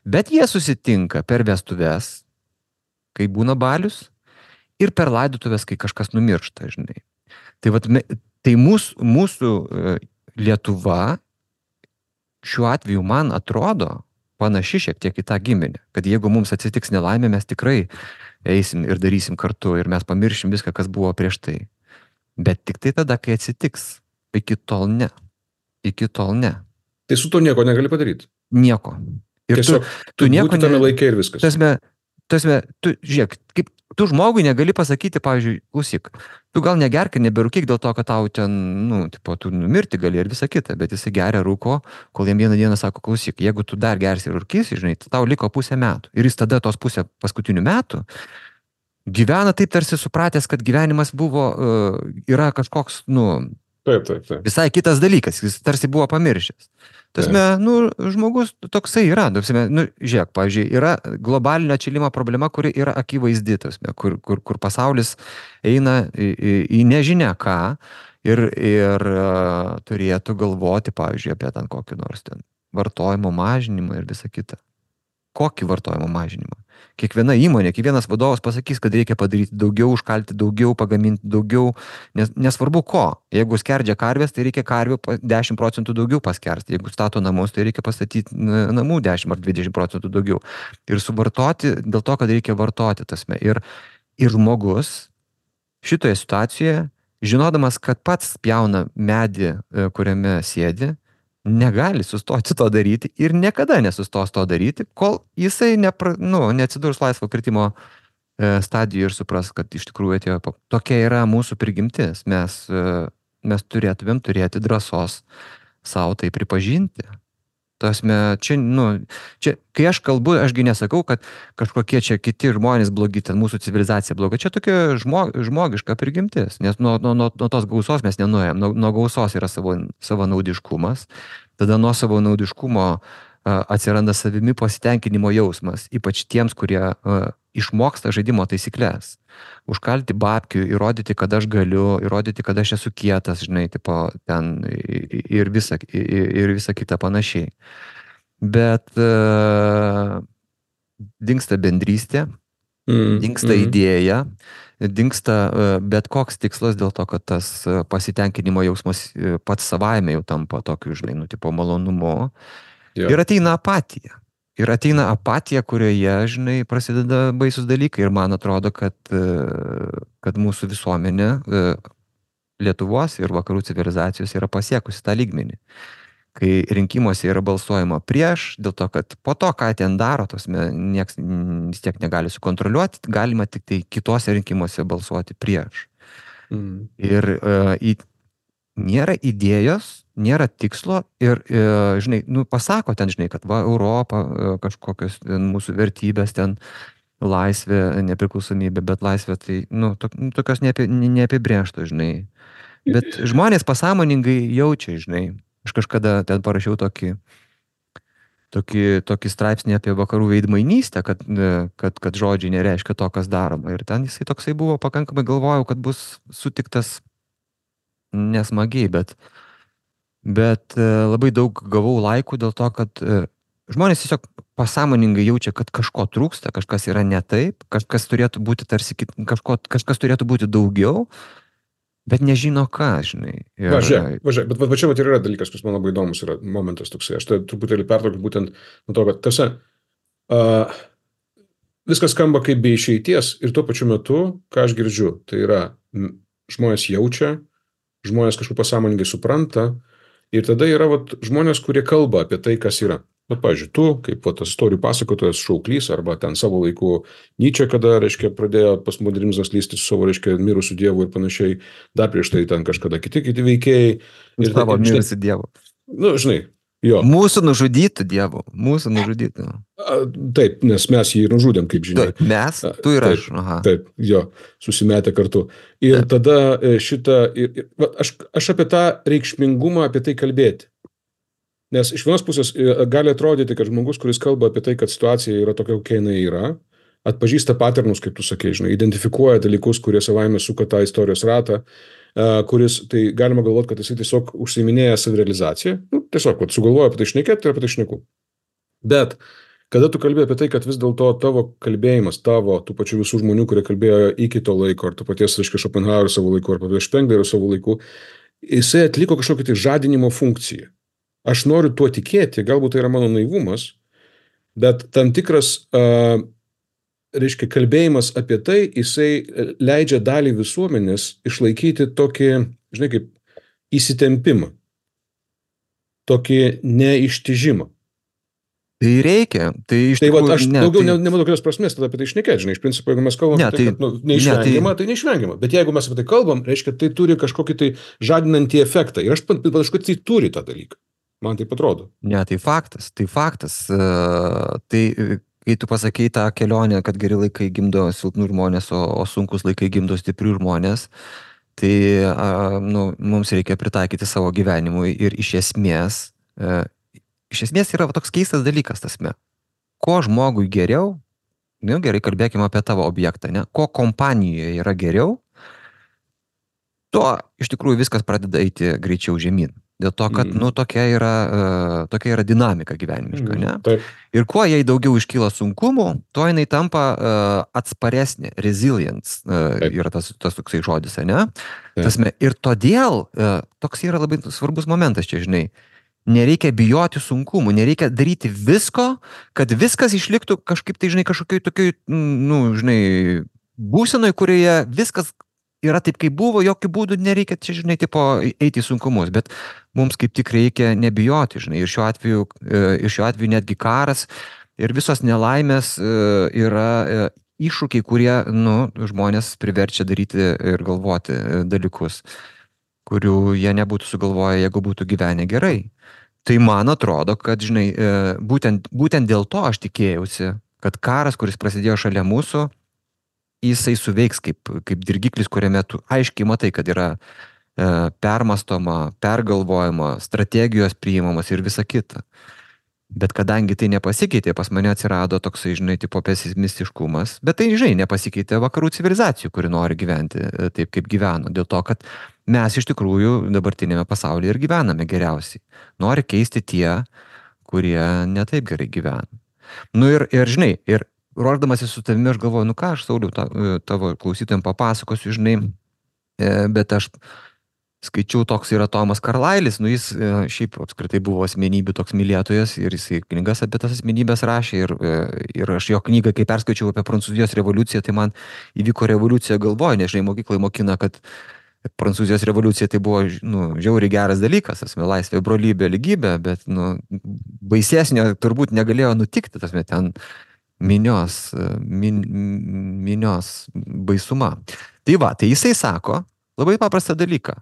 bet jie susitinka per vestuves, kai būna balius, ir per laidotuvės, kai kažkas numiršta, žinai. Tai mūsų Lietuva šiuo atveju man atrodo panaši šiek tiek į tą giminę, kad jeigu mums atsitiks nelaimė, mes tikrai eisim ir darysim kartu ir mes pamiršim viską, kas buvo prieš tai. Bet tik tai tada, kai atsitiks. Iki tol ne. Iki tol ne. Tai su to nieko negali padaryti. Nieko. Ir tiesiog tu nieko tame laikė ir viskas. Tasme, tu žiūrėk, kaip tu žmogui negali pasakyti, pavyzdžiui, klausyk, tu gal negerk ir neberūkyk dėl to, kad tau ten, tu numirti gali ir visa kita, bet jisai geria rūko, kol jam vieną dieną sako, klausyk, jeigu tu dar gersi ir rūkysi, žinai, tau liko 0,5 metų. Ir jis tada tos 0,5 paskutinių metų gyvena taip tarsi supratęs, kad gyvenimas yra kažkoks, Taip. Visai kitas dalykas, jis tarsi buvo pamiršęs. Tasme, žmogus toksai yra, žiūrėk, pavyzdžiui, yra globalinio atšilimo problema, kuri yra akivaizdi, tasme, kur pasaulis eina į nežinia ką ir turėtų galvoti, pavyzdžiui, apie ten kokį nors ten vartojimo mažinimą ir visą kitą. Kokį vartojimo mažinimą? Kiekviena įmonė, kiekvienas vadovas pasakys, kad reikia padaryti daugiau, užkalti daugiau, pagaminti daugiau, nesvarbu ko. Jeigu skerdžia karvės, tai reikia karvių 10% daugiau paskersti. Jeigu stato namus, tai reikia pastatyti namų 10 ar 20% daugiau. Ir suvartoti dėl to, kad reikia vartoti tasme. Ir žmogus šitoje situacijoje, žinodamas, kad pats pjauna medį, kuriame sėdi, negali sustoti to daryti ir niekada nesustos to daryti, kol jisai neatsidurs laisvo kritimo stadijoje ir supras, kad iš tikrųjų atėjo. Tokia yra mūsų prigimtis. Mes turėtumėm turėti drąsos savo tai pripažinti. Tasme, čia, nu, čia, kai aš kalbu, ašgi nesakau, kad kažkokie čia kiti žmonės blogi, ten mūsų civilizacija bloga. Čia tokia žmogiška prigimtis, nes nuo tos gausos mes nenuėjom. Nuo gausos yra savanaudiškumas, tada nuo savanaudiškumo atsiranda savimi pasitenkinimo jausmas, ypač tiems, kurie išmoksta žaidimo taisyklės. Užkalti babkių, įrodyti, kad aš galiu, įrodyti, kad aš esu kietas, žinai, tipo, ten ir visa kita panašiai. Bet dingsta bendrystė, dingsta idėja, dingsta bet koks tikslas dėl to, kad tas pasitenkinimo jausmas pats savaime jau tampa tokiu, žinai, nu, tipo malonumu. Ir ateina apatija. Ir ateina apatija, kurioje, žinai, prasideda baisus dalykai. Ir man atrodo, kad mūsų visuomenė, Lietuvos ir vakarų civilizacijos yra pasiekusi tą lygmenį. Kai rinkimuose yra balsuojama prieš, dėl to, kad po to, ką ten daro, nieks vis tiek negali sukontroliuoti, galima tik tai kitose rinkimuose balsuoti prieš. Ir nėra idėjos, nėra tikslo ir, žinai, nu, pasako ten, žinai, kad va, Europa, kažkokios mūsų vertybės ten, laisvė, nepriklausomybė, bet laisvė tai, nu, tokios neapibrėžtos, žinai. Bet žmonės pasąmoningai jaučia, žinai. Aš kažkada ten parašiau tokį straipsnį apie vakarų veidmainystę, kad žodžiai nereiškia to, kas daroma. Ir ten jisai toksai buvo, pakankamai galvojau, kad bus sutiktas nesmagiai, bet labai daug gavau laikų dėl to, kad žmonės tiesiog pasąmoningai jaučia, kad kažko trūksta, kažkas yra ne taip, kažkas turėtų būti tarsi, kažkas turėtų būti daugiau, bet nežino ką, žinai. Važiuok, bet va čia yra dalykas, kuris man labai įdomus yra momentas toksai. Aš tai truputėlį pertraukiu būtent nuo to, kad viskas skamba kaip be išeities ir tuo pačiu metu, ką aš girdžiu, tai yra žmonės jaučia, žmonės kažkaip pasąmoningai supranta ir tada yra žmonės, kurie kalba apie tai, kas yra. Bet, pavyzdžiui, tu, kaip tas istorijų pasakotojas Šauklys, arba ten savo laiku Nyčė, kada, reiškia, pradėjo postmodernizmas lysti su savo, reiškia, mirusių dievų ir panašiai, dar prieš tai ten kažkada kiti veikėjai. Ir savo mirusių dievų. Nu, žinai, jo. Mūsų nužudytų dievų, mūsų nužudytų. Taip, nes mes jį ir nužudėm, kaip žinia. Mes? Tu ir aš. Aha. Taip, jo, susimetę kartu. Ir tada aš apie tą reikšmingumą, apie tai kalbėti. Nes iš vienos pusės gali atrodyti, kad žmogus, kuris kalba apie tai, kad situacija yra tokia, kokia jinai yra, atpažįsta paternus, kaip tu sakei, žinai, identifikuoja dalykus, kurie savaime suka tą istorijos ratą, kuris, tai galima galvoti, kad jisai tiesiog užsiiminėja savirealizaciją, tiesiog sugalvoja apie tai šnekėti ir apie tai šneku. Bet kada tu kalbėjai apie tai, kad vis dėlto tavo kalbėjimas, tų pačių visų žmonių, kurie kalbėjo iki to laiko, ar to paties, reiškia, Schopenhauerio savo laiku, ar paties Spenglerio savo laiku, jisai atliko kažkokią tai žadinimo funkciją. Aš noriu tuo tikėti, galbūt tai yra mano naivumas, bet tam tikras, reiškia, kalbėjimas apie tai, jisai leidžia dalį visuomenės išlaikyti tokį, žinai, kaip įsitempimą, tokį neištižimą. Tai reikia, tai iš tikrųjų... Tai aš daugiau nematau kokios prasmės tada apie tai šnekėti, žinai, iš principo, jeigu mes kalbam apie tai, kad neišvengiama, tai neišvengiama. Bet jeigu mes apie tai kalbam, reiškia, tai turi kažkokį tai žadinantį efektą. Ir aš panašu, kad tai turi tą dalyką. Man taip atrodo. Ne, tai faktas. Tai, kai tu pasakei tą kelionę, kad geri laikai gimdo silpnų žmonės, o sunkus laikai gimdo stiprių žmonės, tai mums reikia pritaikyti savo gyvenimui ir iš esmės yra toks keistas dalykas tasme. Ko žmogui geriau, gerai, kalbėkime apie tavo objektą, ne? Ko kompanijoje yra geriau, tuo iš tikrųjų viskas pradeda eiti greičiau žemyn. Dėl to, kad, tokia yra dinamika gyvenimiška, ne? Taip. Ir kuo jai daugiau iškyla sunkumų, tuo jinai tampa atsparesnė, resilience yra tas toksai žodis, ne? Tasme, ir todėl toks yra labai svarbus momentas čia, žinai. Nereikia bijoti sunkumų, nereikia daryti visko, kad viskas išliktų kažkaip tai, žinai, kažkokiai tokiai, žinai, būsenoj, kurioje viskas yra taip, kaip buvo, jokių būdų nereikia čia, žinai, tipo, eiti į sunkumus, bet mums kaip tik reikia nebijoti, žinai, ir šiuo atveju netgi karas ir visos nelaimės yra iššūkiai, kurie, žmonės priverčia daryti ir galvoti dalykus, kurių jie nebūtų sugalvoję, jeigu būtų gyvenę gerai. Tai man atrodo, kad, žinai, būtent dėl to aš tikėjausi, kad karas, kuris prasidėjo šalia mūsų, jisai suveiks kaip dirgiklis, kuriame tu aiškiai matai, kad yra permastoma, pergalvojama, strategijos priimamas ir visa kita. Bet kadangi tai nepasikeitė, pas mane atsirado toksai, žinai, tipo pesimistiškumas, bet tai, žinai, nepasikeitė vakarų civilizacijų, kuri nori gyventi taip, kaip gyveno. Dėl to, kad mes iš tikrųjų dabartinėme pasaulyje ir gyvename geriausiai. Nori keisti tie, kurie netaip gerai gyvena. Nu ir žinai, ir ruoždamasi su tavimi aš galvoju, nu ką aš, Sauliau, tavo klausytojams papasakosiu, žinai, bet aš skaičiau, toks yra Tomas Karlailis, nu jis šiaip apskritai buvo asmenybių toks mylėtojas ir jisai knygas apie tas asmenybės rašė ir aš jo knygą, kai perskaičiau apie Prancūzijos revoliuciją, tai man įvyko revoliucija galvoje, nežinai, mokyklai mokina, kad Prancūzijos revoliucija tai buvo, nu, žiauriai geras dalykas, asme, laisvė, brolybė, lygybė, bet, nu, baisesnio turbūt negalėjo nutikti, tasme, ten minios baisuma. Tai va, tai jisai sako labai paprastą dalyką.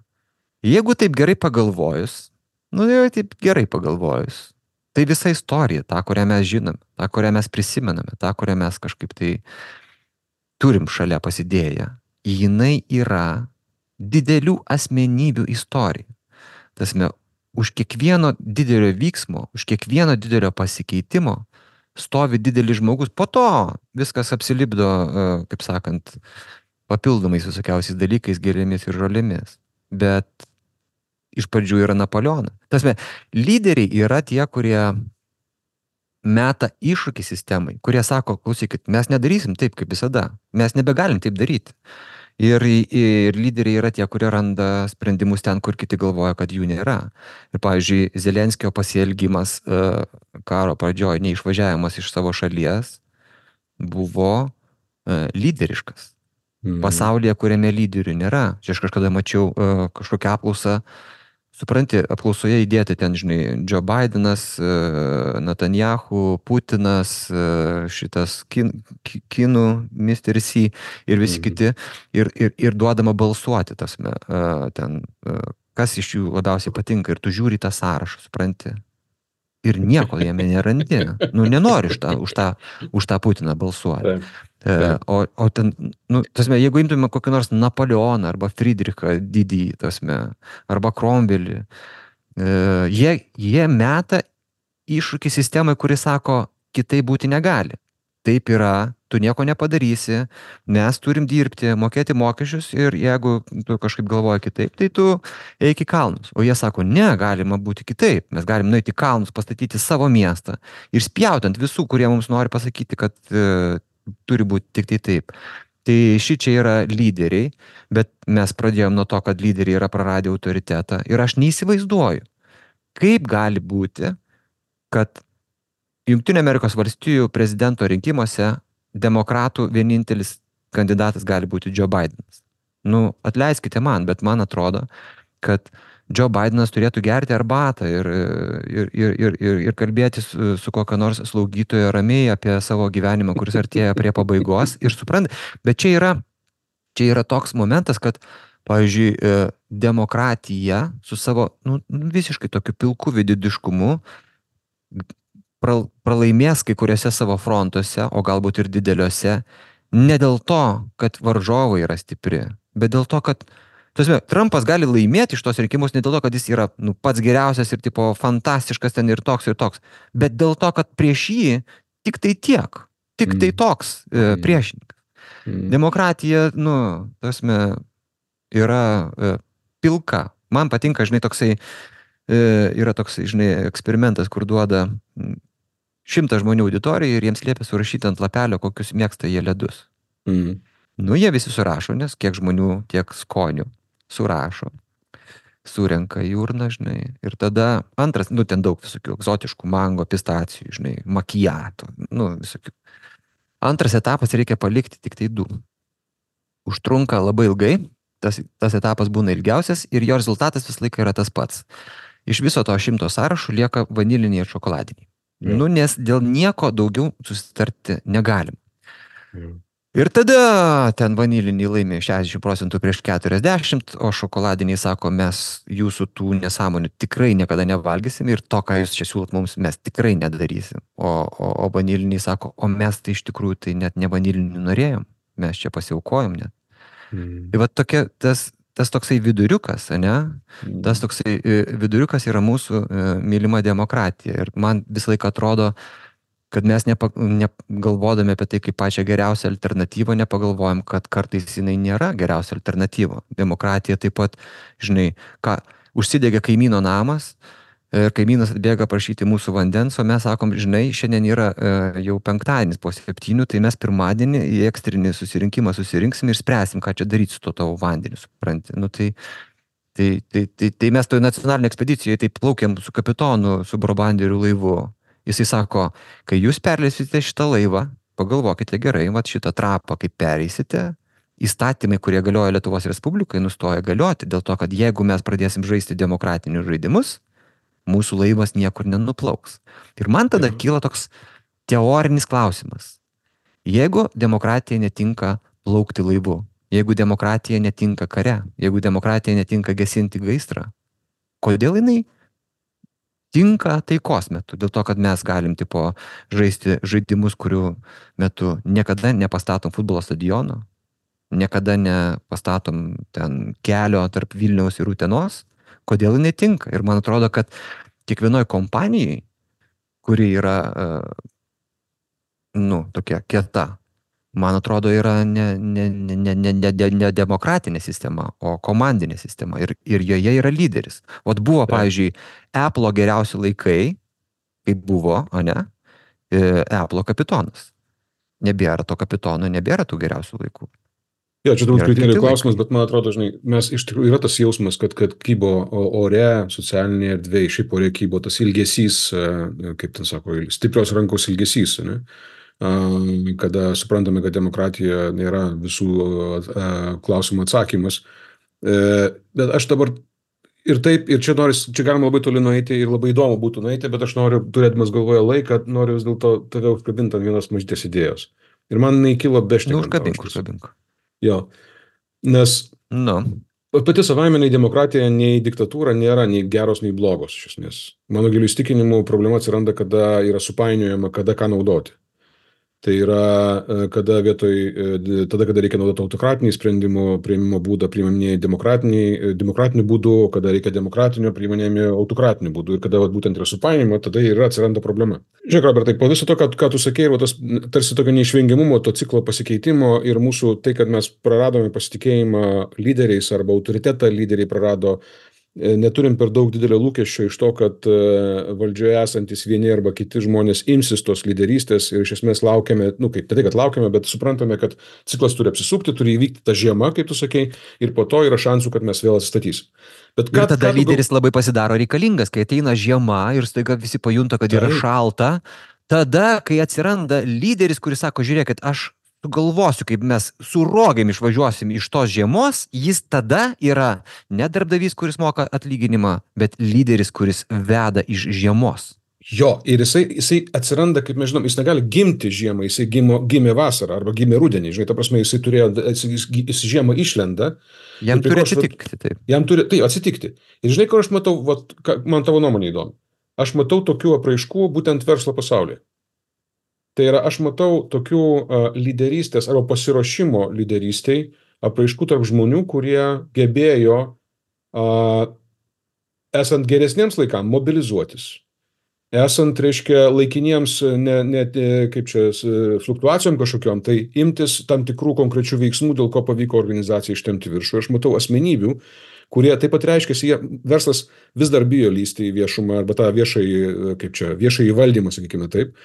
Jeigu taip gerai pagalvojus, nu jau taip gerai pagalvojus, tai visa istorija, tą, kurią mes žinom, tą, kurią mes prisimename, tą, kurią mes kažkaip tai turim šalia pasidėję, jinai yra didelių asmenybių istorija. Tasme, už kiekvieno didelio vyksmo, už kiekvieno didelio pasikeitimo stovi didelis žmogus, po to viskas apsilipdo, kaip sakant, papildomais visokiausiais dalykais, gėlėmis ir žolėmis. Bet iš pradžių yra Napoleonas. Tasme, lyderiai yra tie, kurie meta iššūkį sistemai, kurie sako, klausykit, mes nedarysim taip, kaip visada. Mes nebegalim taip daryti. Ir lyderiai yra tie, kurie randa sprendimus ten, kur kiti galvoja, kad jų nėra. Ir, pavyzdžiui, Zelenskio pasielgimas karo pradžioje, neišvažiavimas iš savo šalies, buvo lyderiškas. Pasaulyje, kuriame lyderių nėra. Čia aš kažkada mačiau kažkokią apklausą, supranti, apklausoje įdėti ten, žinai, Joe Bidenas, Netanyahu, Putinas, šitas kinų, Mr. C ir visi kiti, ir duodama balsuoti, tasme, ten, kas iš jų labiausiai patinka, ir tu žiūri tą sąrašą, supranti, ir nieko jame nerandi. Nu, nenori už tą Putiną balsuoti. O ten, nu, tasme, jeigu imtume kokį nors Napoleoną arba Friedrichą didįjį, tasme, arba Cromwellį, jie meta iššūkį sistemai, kuri sako, kitaip būti negali. Taip yra, tu nieko nepadarysi, mes turim dirbti, mokėti mokesčius ir jeigu tu kažkaip galvoji kitaip, tai tu eik į kalnus. O jie sako, ne, galima būti kitaip, mes galim nueiti į kalnus, pastatyti savo miestą ir spjautant visų, kurie mums nori pasakyti, kad turi būti tik tai taip. Tai šičia yra lyderiai, bet mes pradėjom nuo to, kad lyderiai yra praradę autoritetą ir aš neįsivaizduoju, kaip gali būti, kad Jungtinių Amerikos valstijų prezidento rinkimuose demokratų vienintelis kandidatas gali būti Joe Bidenas. Nu, atleiskite man, bet man atrodo, kad Joe Bidenas turėtų gerti arbatą ir kalbėti su kokio nors slaugytojo ramiai apie savo gyvenimą, kuris artėja prie pabaigos. Ir suprant, bet čia yra toks momentas, kad, pavyzdžiui, demokratija su savo visiškai tokiu pilku vididiškumu pralaimės kai kuriuose savo frontuose, o galbūt ir dideliuose, ne dėl to, kad varžovai yra stipri, bet dėl to, kad Trumpas gali laimėti iš tos rinkimus ne dėl to, kad jis yra pats geriausias ir tipo fantastiškas ten ir toks, bet dėl to, kad prieš jį tik tai tiek, tik tai toks priešininkas. Demokratija, yra pilka. Man patinka, žinai, yra toksai, žinai, eksperimentas, kur duoda 100 žmonių auditorijai ir jiems liepia surašyti ant lapelio, kokius mėgsta jie ledus. Nu, jie visi surašo, nes kiek žmonių, tiek skonių surašo, surenka į urną, žinai, ir tada antras, ten daug visokių egzotiškų mango, pistacijų, žinai, makiato, visokių. Antras etapas reikia palikti tik tai 2. Užtrunka labai ilgai, tas etapas būna ilgiausias ir jo rezultatas visą laiką yra tas pats. Iš viso to 100 sąrašų lieka vaniliniai ir šokoladiniai. Nes dėl nieko daugiau susitarti negalim. Ir tada ten vaniliniai laimė 60% prieš 40, o šokoladiniai sako, mes jūsų tų nesąmonių tikrai niekada nevalgysim ir to, ką jūs čia siūlot mums, mes tikrai nedarysim. O vaniliniai sako, o mes tai iš tikrųjų tai net ne vanilinių norėjom, mes čia pasiaukojom net. Tai va tokia, tas toksai viduriukas, ne? Tas toksai viduriukas yra mūsų mylima demokratija. Ir man visą laiką atrodo, kad mes negalvodami apie tai kaip pačią geriausią alternatyvą, nepagalvojam, kad kartais jinai nėra geriausia alternatyva. Demokratija taip pat, žinai, ką, užsidegė kaimyno namas, ir kaimynas atbėga prašyti mūsų vandens, o mes sakom, žinai, šiandien yra jau penktadienis po 7, tai mes pirmadienį į ekstrinį susirinkimą susirinksim ir spręsim, ką čia daryti su to tavo vandeniu, supranti. Nu, tai mes toje nacionalinėje ekspedicijoje taip plaukėm su kapitonu, su brobanderiu laivu. Jisai sako, kai jūs perleisite šitą laivą, pagalvokite gerai, vat šitą trapą, kaip pereisite, įstatymai, kurie galioja Lietuvos Respublikai, nustoja galioti, dėl to, kad jeigu mes pradėsim žaisti demokratinius žaidimus, mūsų laivas niekur nenuplauks. Ir man tada kyla toks teorinis klausimas. Jeigu demokratija netinka plaukti laivu, jeigu demokratija netinka kare, jeigu demokratija netinka gesinti gaisrą, kodėl jinai tinka taikos metu? Dėl to, kad mes galim tipo žaisti žaidimus, kurių metu niekada nepastatom futbolo stadiono, niekada nepastatom ten kelio tarp Vilniaus ir Utenos. Kodėl jinai tinka? Ir man atrodo, kad kiekvienoj kompanijai, kuri yra, tokia kieta, man atrodo, yra ne demokratinė sistema, o komandinė sistema. Ir joje yra lyderis. Vat buvo, pavyzdžiui, Apple'o geriausi laikai, kaip buvo, ne, Apple'o kapitonas. Nebėra to kapitono, nebėra tų geriausių laikų. Jo, čia turbūt kriterijų klausimas, bet man atrodo, žinai, mes iš tikrųjų yra tas jausmas, kad kybo ore, socialinėje erdvėje, šiaip ore kybo tas ilgesys, kaip ten sako, stiprios rankos ilgesys, ne? Kada suprantame, kad demokratija nėra visų klausimų atsakymas. Bet aš dabar ir taip, ir čia galima labai toli nueiti ir labai įdomu būtų nueiti, bet aš noriu, turėdamas galvoje laiką, noriu vis dėlto tave užkabinti ant vienos mažytės idėjos. Ir man neįkilo bešnekant. Užkabink. Jo, nes pati savaime nei demokratija, nei diktatūra nėra nei geros, nei blogos, iš esmės. Mano giliu įsitikinimu problema atsiranda, kada yra supainiojama, kada ką naudoti. Tai yra, kada reikia naudoti autokratinį sprendimų priėmimo būdą, priimami demokratiniu būdu, kada reikia demokratinio priiminėjami autokratiniu būdu ir kada būtent yra supainiojama, tada ir atsiranda problema. Žiūrėk, Robertai, po viso to, ką tu sakei, tas tarsi tokio neišvengiamumo, to ciklo pasikeitimo ir mūsų tai, kad mes praradome pasitikėjimą lyderiais arba autoritetą lyderiai prarado, neturim per daug didelio lūkesčio iš to, kad valdžioje esantis vieni arba kiti žmonės imsis tos lyderystės ir iš esmės laukiame, kaip tai, kad laukiame, bet suprantame, kad ciklas turi apsisukti, turi įvykti ta žiema, kaip tu sakei, ir po to yra šansų, kad mes vėl atsistatysim. Ir tada lyderis labai pasidaro reikalingas, kai ateina žiema ir staiga visi pajunta, kad yra šalta. Tada, kai atsiranda lyderis, kuris sako, žiūrėkit, aš sugalvosiu, kaip mes su rogėm išvažiuosim iš tos žiemos, jis tada yra ne darbdavys, kuris moka atlyginimą, bet lyderis, kuris veda iš žiemos. Jo, ir jisai atsiranda, kaip mes žinom, jis negali gimti žiemą, jisai gimė vasarą arba gimė rudenį, žinai, ta prasme, jis žiemą išlenda. Jam turi atsitikti, taip. Jam turi, tai atsitikti. Ir žinai, kur aš matau, man tavo nuomonė įdomi, aš matau tokių apraiškų būtent verslo pasaulyje. Tai yra, aš matau tokių lyderystės arba pasiruošimo lyderystei apraiškų tarp žmonių, kurie gebėjo, esant geresniems laikams, mobilizuotis. Esant, reiškia, laikiniems, fluktuacijom kažkokiom, tai imtis tam tikrų konkrečių veiksmų, dėl ko pavyko organizacijai ištemti viršų. Aš matau asmenybių, kurie taip pat reiškia, verslas vis dar bijo lysti į viešumą arba tą viešąjį valdymą, sakykime taip.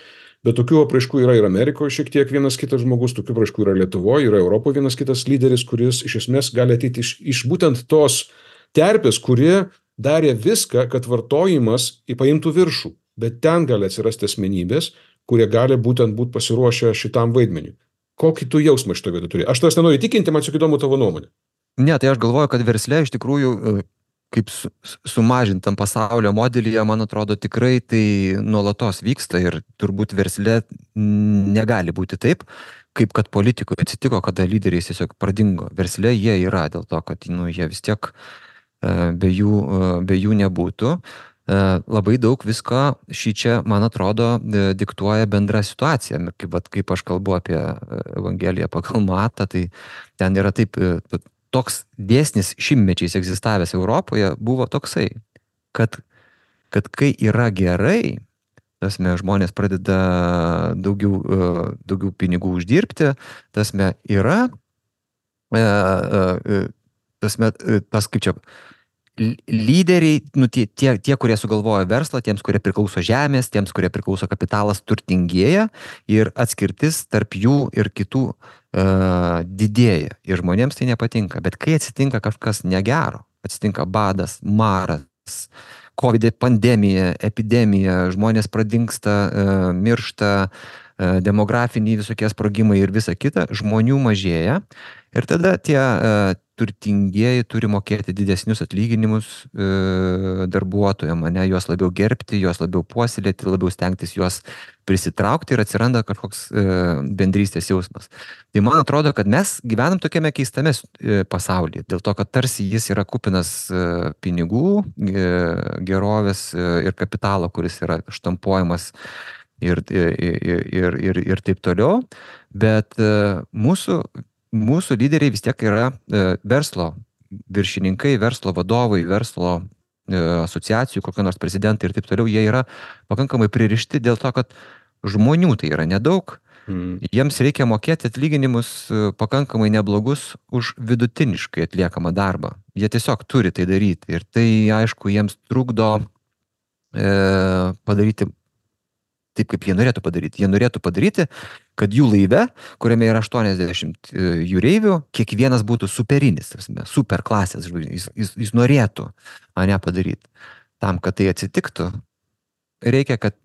Bet tokių apraiškų yra ir Amerikoje šiek tiek vienas kitas žmogus, tokių apraiškų yra Lietuvoje, yra Europoje vienas kitas lyderis, kuris iš esmės gali ateiti iš būtent tos terpės, kurie darė viską, kad vartojimas paimtų viršų. Bet ten gali atsirasti asmenybės, kurie gali būtent būti pasiruošę šitam vaidmeniui. Kokį tu jausmą šito vietą turi? Aš tavęs nenoriu įtikinti, man tik įdomu tavo nuomonė. Ne, tai aš galvoju, kad versle iš tikrųjų kaip sumažintam pasaulio modelyje, man atrodo, tikrai tai nuolatos vyksta ir turbūt versle negali būti taip, kaip kad politikoje atsitiko, kada lyderiai tiesiog pradingo. Versle jie yra dėl to, kad jie vis tiek be jų nebūtų. Labai daug visko čia, man atrodo, diktuoja bendra situacija. Kaip aš kalbu apie Evangeliją pagal Matą, tai ten yra taip, toks dėsnis šimtmečiais egzistavęs Europoje buvo toksai, kad kai yra gerai, žmonės pradeda daugiau pinigų uždirbti, yra, kaip čia, lyderiai, tie, kurie sugalvoja verslą, tiems, kurie priklauso žemės, tiems, kurie priklauso kapitalas, turtingėja ir atskirtis tarp jų ir kitų didėja. Ir žmonėms tai nepatinka. Bet kai atsitinka kažkas negero, atsitinka badas, maras, COVID pandemija, epidemija, žmonės pradingsta, miršta, demografiniai visokie sprogimai ir visa kita, žmonių mažėja. Ir tada tie turtingieji turi mokėti didesnius atlyginimus darbuotojams, juos labiau gerbti, juos labiau puoselėti, labiau stengtis juos prisitraukti ir atsiranda kažkoks bendrystės jausmas. Tai man atrodo, kad mes gyvenam tokiame keistame pasaulyje, dėl to, kad tarsi jis yra kupinas pinigų, gerovės ir kapitalo, kuris yra štampuojamas ir taip toliau, bet mūsų lyderiai vis tiek yra verslo viršininkai, verslo vadovai, verslo asociacijų, kokio nors prezidentai ir taip toliau, jie yra pakankamai pririšti dėl to, kad žmonių tai yra nedaug, jiems reikia mokėti atlyginimus pakankamai neblogus už vidutiniškai atliekamą darbą. Jie tiesiog turi tai daryti ir tai, aišku, jiems trukdo padaryti taip, kaip jie norėtų padaryti. Jie norėtų padaryti, kad jų laive, kuriame yra 80 jūreivių, kiekvienas būtų superinis, super klasės žvaigždė. Jis norėtų mane padaryti. Tam, kad tai atsitiktų, reikia, kad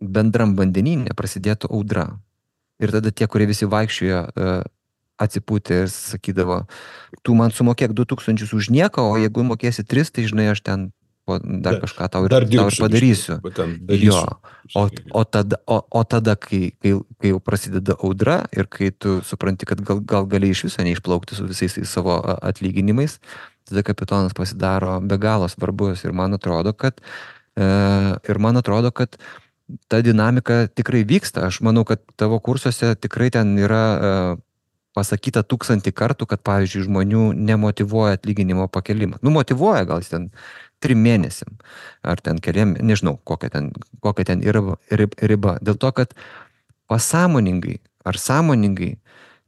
bendram vandenyne prasidėtų audra. Ir tada tie, kurie visi vaikščiojo atsipūtė ir sakydavo, tu man sumokėk 2000 už nieką, o jeigu mokėsi 3, tai žinai, aš ten dar kažką tau ir padarysiu. Jo. O tada, kai jau prasideda audra ir kai tu supranti, kad gal gali iš viso neišplaukti su visais savo atlyginimais, tada kapitonas pasidaro be galo svarbus ir man atrodo, kad ta dinamika tikrai vyksta. Aš manau, kad tavo kursuose tikrai ten yra pasakyta 1000 kartų, kad, pavyzdžiui, žmonių nemotyvuoja atlyginimo pakelimą. Motyvuoja gal ten 3 mėnesiam, ar ten keliam, nežinau, kokia ten yra riba. Dėl to, kad pasąmoningai ar sąmoningai,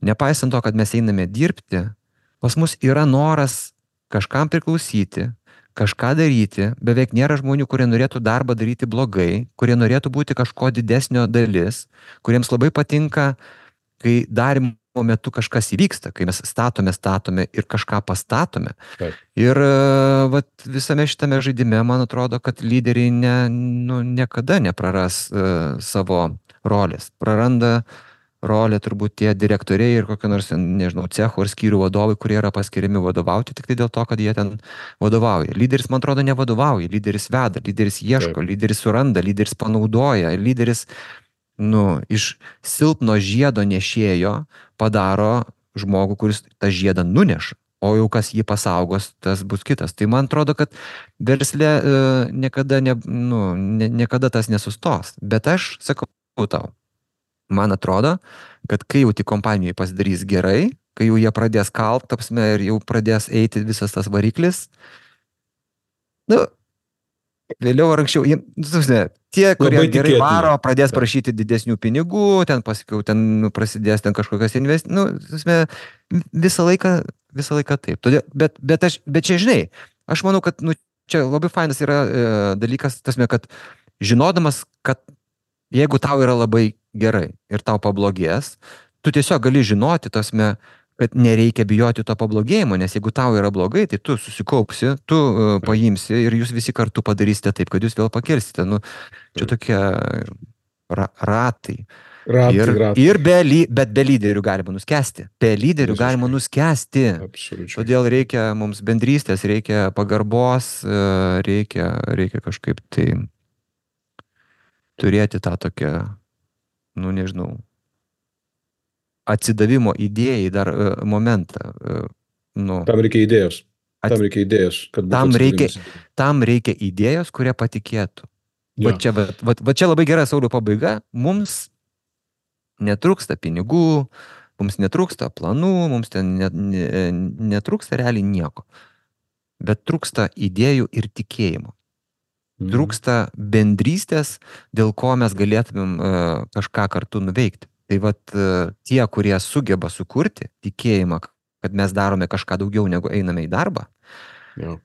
nepaisant to, kad mes einame dirbti, pas mus yra noras kažkam priklausyti, kažką daryti, beveik nėra žmonių, kurie norėtų darbą daryti blogai, kurie norėtų būti kažko didesnio dalis, kuriems labai patinka, kai darimo metu kažkas įvyksta, kai mes statome ir kažką pastatome. Taip. Ir visame šitame žaidime, man atrodo, kad lyderiai niekada nepraras savo rolės. Praranda rolę turbūt tie direktoriai ir kokio nors, nežinau, cecho ar skyrių vadovai, kurie yra paskiriami vadovauti tik tai dėl to, kad jie ten vadovauja. Lyderis, man atrodo, nevadovauja, lyderis veda, lyderis ieško, Taip. Lyderis suranda, lyderis panaudoja, lyderis iš silpno žiedo nešėjo padaro žmogų, kuris tą žiedą nuneša, o jau kas jį pasaugos, tas bus kitas. Tai man atrodo, kad versle niekada tas nesustos. Bet aš sakau tau, man atrodo, kad kai jau tik kompanijai pasidarys gerai, kai jau jie pradės kalt, ir jau pradės eiti visas tas variklis, vėliau ar anksčiau, tie, kurie gerai varo, pradės prašyti didesnių pinigų, ten pasakiau, ten prasidės ten kažkokios investicijos, visą laiką taip. Bet čia, žinai, aš manau, kad čia labai fainas yra dalykas, kad žinodamas, kad jeigu tau yra labai gerai ir tau pablogės, tu tiesiog gali žinoti, kad nereikia bijoti to pablogėjimo, nes jeigu tau yra blogai, tai tu susikaupsi, tu paimsi ir jūs visi kartu padarysite taip, kad jūs vėl pakelsite. Čia tokie ratai. Bet be lyderių galima nuskesti. Be lyderių galima nuskesti. Absoliučiai. Todėl reikia mums bendrystės, reikia pagarbos, reikia kažkaip tai turėti tą tokią, nežinau, atsidavimo idėjai dar momentą. Nu, Tam reikia idėjos. ats- Kad būtų tam reikia, atsidavimas idėjai. tam reikia idėjos, kurie patikėtų. Jo. Va čia labai gera, Sauliau, pabaiga. Mums netrūksta pinigų, mums netrūksta planų, mums ten netrūksta realiai nieko. Bet trūksta idėjų ir tikėjimo. Trūksta bendrystės, dėl ko mes galėtumėm kažką kartu nuveikti. Tai vat tie, kurie sugeba sukurti tikėjimą, kad mes darome kažką daugiau negu einame į darbą, Jo.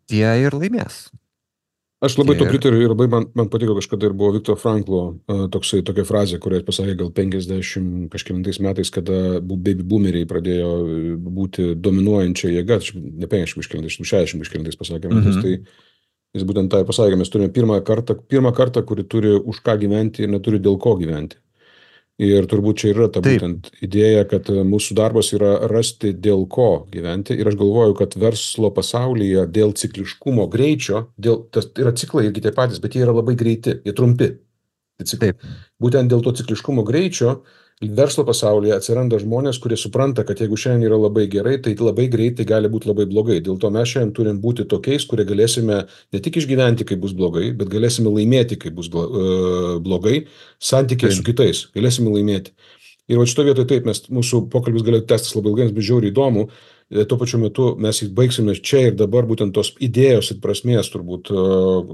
tie ir laimės. Aš labai to pritariu ir labai man patiko kažkada ir buvo Viktor Franklo tokia frazė, kurią jis pasakė gal 50 kažkelintais metais, kada baby boomeriai pradėjo būti dominuojančia jėga, ne 50 kažkelintais, 60 kažkelintais pasakė, tai jis būtent tai pasakė, mes turime pirmą kartą, kuri turi už ką gyventi ir neturi dėl ko gyventi. Ir turbūt čia yra ta būtent idėja, kad mūsų darbas yra rasti dėl ko gyventi. Ir aš galvoju, kad verslo pasaulyje dėl cikliškumo greičio, tas yra ciklai irgi tie patys, bet jie yra labai greiti, jie trumpi. Būtent dėl to cikliškumo greičio verslo pasaulyje atsiranda žmonės, kurie supranta, kad jeigu šiandien yra labai gerai, tai labai greitai gali būti labai blogai. Dėl to mes šiandien turim būti tokiais, kurie galėsime ne tik išgyventi, kai bus blogai, bet galėsime laimėti, kai bus blogai, santykiai su kitais, galėsime laimėti. Ir va šito vietoje taip, mūsų pokalbis galėtų tęstis labai ilgai, nes bus žiauriai įdomu. Tuo pačiu metu mes baigsime čia ir dabar būtent tos idėjos ir prasmės turbūt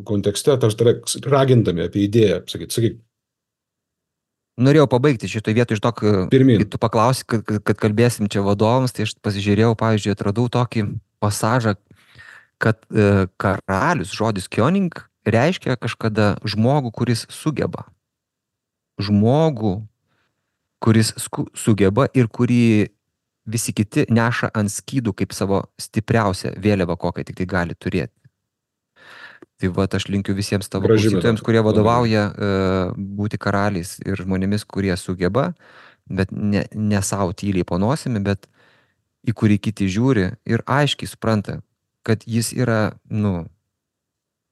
kontekste, ragindami apie idėją. Sakyk. Norėjau pabaigti šitoj vietoj iš to, kai tu paklausi, kad kalbėsim čia vadovams, tai aš pasižiūrėjau, pavyzdžiui, atradau tokį pasažą, kad karalius, žodis König, reiškia kažkada žmogų, kuris sugeba. Žmogų, kuris sugeba ir kurį visi kiti neša ant skydų kaip savo stipriausią vėliavą, kokią tik tai gali turėti. Tai va, aš linkiu visiems tavo klausytojams, kurie vadovauja būti karaliais ir žmonėmis, kurie sugeba, bet ne savo tyliai po nosimi, bet į kurį kiti žiūri ir aiškiai supranta, kad jis yra,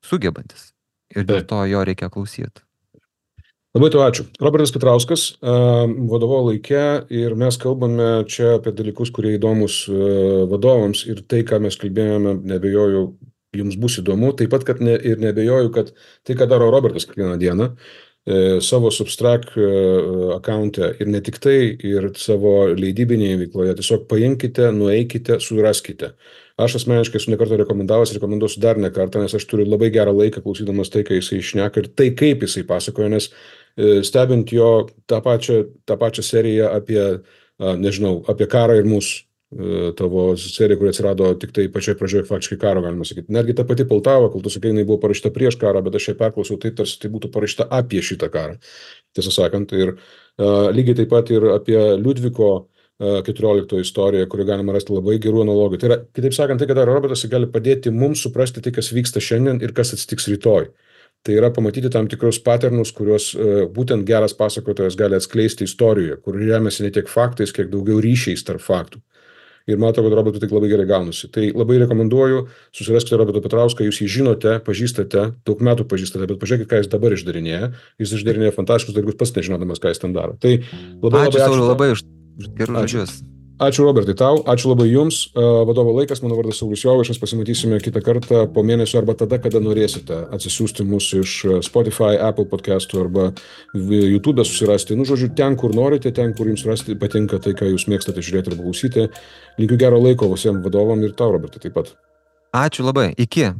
sugebantis. Ir dėl to jo reikia klausyti. Labai tau ačiū. Robertas Petrauskas, vadovo laike, ir mes kalbame čia apie dalykus, kurie įdomus vadovams, ir tai, ką mes kalbėjome, nebejoju, jums bus įdomu, taip pat, kad ir nebejoju, kad tai, ką daro Robertas kiekvieną dieną, savo Substack account'e ir ne tik tai, ir savo leidybinėje veikloje, tiesiog paimkite, nueikite, suraskite. Aš asmeniškai esu nekartą rekomenduosiu dar nekartą, nes aš turiu labai gerą laiką klausydamas tai, kai jisai šneka ir tai, kaip jisai pasakoja, nes stebint jo tą pačią seriją apie, apie karą ir mūsų, tavo serija, kuri atsirado tik tai pačioj pradžioje faktiškai karo, galima sakyti. Netgi ta pati Poltava, kol tu sakai, jinai buvo parašyta prieš karą, bet aš ją perklausiau taip, tarsi tai būtų parašyta apie šitą karą. Tiesą sakant, ir lygiai taip pat ir apie Liudviko 14 istoriją, kurį galima rasti labai gerų analogijų. Tai yra, kitaip sakant, tai, kad Robertas gali padėti mums suprasti tai, kas vyksta šiandien ir kas atsitiks rytoj. Tai yra pamatyti tam tikrus paternus, kuriuos būtent geras pasakotojas gali atskleisti istorijoje, kur remiasi ne tiek faktais, kiek daugiau ryšiais tarp faktų. Ir matau, kad Robertui tik labai gerai gaunasi. Tai labai rekomenduoju, susiraskite Robertą Petrauską, jūs jį žinote, pažįstate, daug metų pažįstate, bet pažiūrėkite, ką jis dabar išdarinėja. Jis išdarinėja fantastiškus dalykus, pats nežinodamas, ką jis ten daro. Tai ačiū labai už gerus žodžius. Ačiū Robertai tau, ačiū labai jums. Vadovo laikas, mano vardas Saulius Jovaišas, pasimatysime kitą kartą po mėnesio arba tada, kada norėsite atsisiųsti mūsų iš Spotify, Apple podcastų arba YouTube susirasti. Žodžiu, ten, kur norite, ten, kur jums patinka tai, ką jūs mėgstate žiūrėti ir klausyti. Linkiu gero laiko visiems vadovam ir tau, Robertai, taip pat. Ačiū labai. Iki.